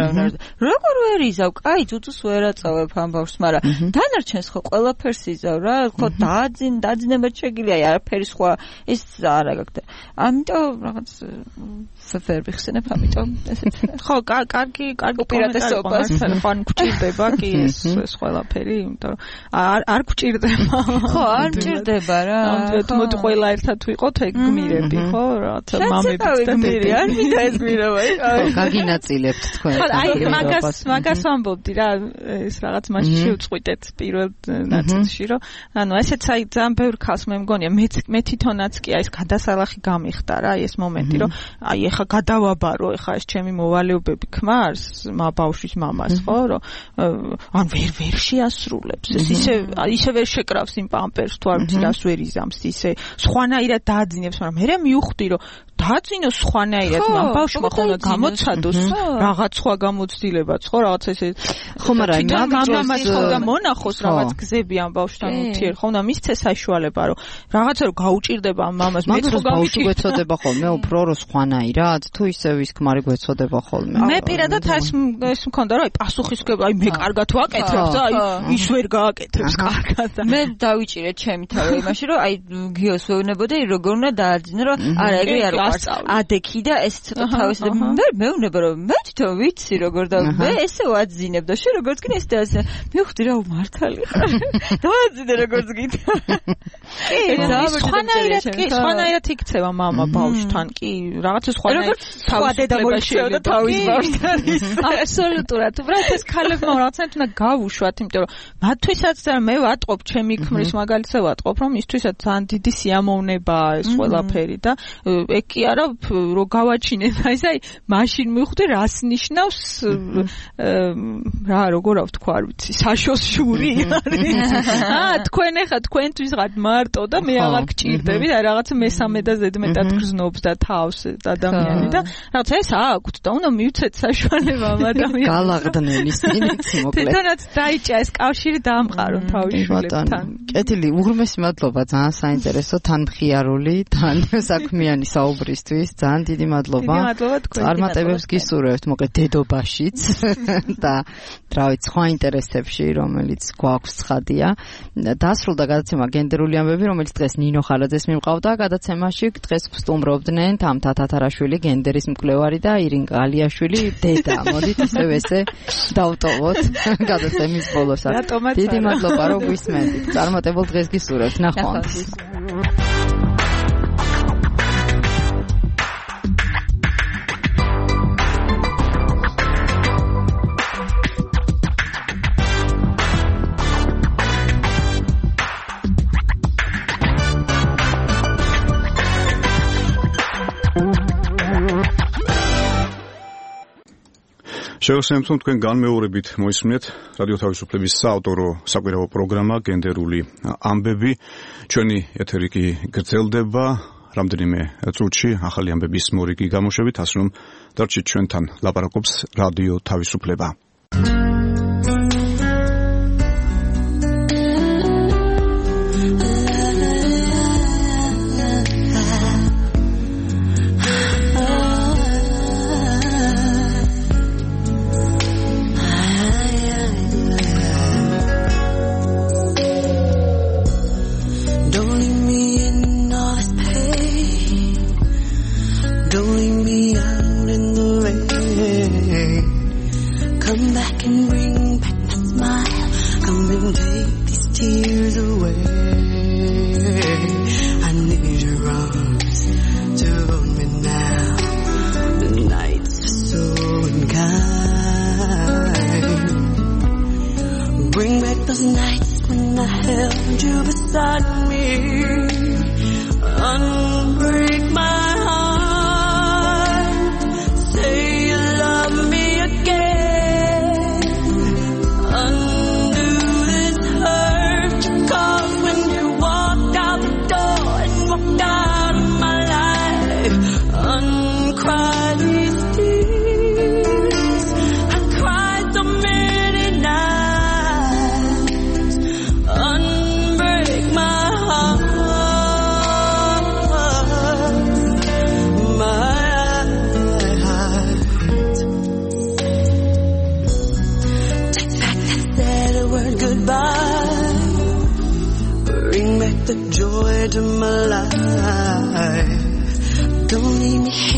როგორ ვერ იზავ კაი ძუძუს ვერ აწავებ ამ ბავშვს მაგრამ დანარჩენს ხო ყველაფერს იზავ რა ხო დაძინება შეგიძლია აი არაფერი სხვა ეს არა გაგდა ამიტომ რაღაც ვერ ვიხსენებ ამიტომ ესეთ ხო კარგი უპირატესობას ხან გვჭირდება კი ეს ყველაფერი იმიტომ არ გვჭირდება ხო არ მჭირდება რა მოდი ყველა ერთად ვიყოთ გმირები ხო რათა მამებიც და დედები არ მინდა ეს გმირობა გაგინაწილებთ თქვენ აი მაგას ვამბობდი რა ეს რაღაც მაშინ შევწყვიტეთ პირველ ნაწილში რომ ანუ ესეც აი ძალიან ბევრ ხალხს მე მგონია მე თვითონაც კი აი ეს გადასალახი გამიხდა რა ეს მომენტი რომ აი ეხა გადავაბარო ეხა ეს ჩემი მოვალეობები ქმარს ბავშვის მამას ხო რომ ან ვერ შეასრულებს ეს ისე ვერ შეკრავს იმ პამპერს თუ არ ვიცი რას ვერ იზამს ისე სხვანაირად დააძინებს მაგრამ მე მივხვდი რომ დააძინოს სხვანაირად ამ ბავშვმა ხოლმე გამოცადოს რაღაც სხვა გამოცდილებაც ხო რაღაც ესე ხო მაგრამ მამამაც ხოლმე მონახოს რაღაც გზები ამ ბავშვთან უთიერ ხოლმე მისცეს საშუალება რომ რაღაცა რომ გაუჭირდება ამ მამას მე ხო ბავშვი გვეცოდება ხოლმე უფრო რო სხვანაირად თუ ისევ ის ქმარი გვეცოდება ხოლმე მე პირადად ეს მქონდა რომ აი პასუხისგება აი მე კარგად ვაკეთებ და აი ის ვერ გააკეთებს კარგად მე დავიჭირე ჩემი თავი იმაში რომ აი გიოს ვეუბნებოდი როგორ უნდა დააძინო რომ არა ეგრე არ ადექი და ეს ცოტა თავის და მეუბნება რომ მე თვითონ ვიცი როგორ და მე ესე ვაძინებ და შენ როგორც გინდა ეს და მივხვდი რა მართალი ხარ დააძინე როგორც გინდა კი სხვანაირად იქცევა მამა ბავშვთან კი რაღაცა სხვანაირად სხვა დედა მოიჩევდა თავის ბავშვთან აბსოლუტურად უბრალოდ ეს ქალებმა რაღაცა უნდა გავუშვათ იმიტომ რომ მათთვისაც მე ვატყობ ჩემი ქმრის მაგალითზე ვატყობ რომ ისთვისაც ძალიან დიდი სიამოვნებაა ეს ყველაფერი და ეგ კი არა რომ გავაჩინებ აი მაშინ მივხვდი რას ნიშნავს რა როგორ ვთქვა არ ვიცი საშოს შური არის თქვენ ახლა თქვენთვის რაღაც მარტო და მე აღარ გჭირდები და რაღაცა მესამე და ზედმეტად გრძნობს და თავს ადამიანი და რაღაცა ეს აქვთ და უნდა მივცეთ საშუალება ამ ადამიანს. გალაღდნენ ისინიც მოკლედ. თვითონაც დაიჭა ეს კავშირი დაამყარო თავისუფლებთან. კეთილი, უღრმესი მადლობა, ძალიან საინტერესო, თან მხიარული, თან საქმიანი საუბრისთვის, ძალიან დიდი მადლობა. წარმატებებს გისურვებთ, მოკლედ დედობაშიც და რა ვიცი, სხვა ინტერესებში, რომელიც გვაქვს ცხადია. დასრულდა გადაცემა გენდერული ამბები, რომელიც დღეს ნინო ხარაძეს მიმყავდა. გადაცემაში დღეს სტუმრობდნენ თამთა თათარაშვილი, გენდერის მკვლევარი და ირინკა ალიაშვილი, დედა. მოდით ისევ ესე დავტოვოთ გადაცემის ბოლოს. დიდი მადლობა, რომ გვისმენთ. წარმატებულ დღეს გისურვებთ. ნახვამდის. შევასრულებთ თქვენ განმეორებით მოისმინეთ რადიო თავისუფლების საავტორო საკვირაო პროგრამა გენდერული ამბები. ჩვენი ეთერი კი გრძელდება რამდენიმე წუთში ახალი ამბების მორიგი გამოშვებით, ასე რომ დარჩით ჩვენთან. ლაპარაკობს რადიო თავისუფლება. The joy to my life. Don't leave me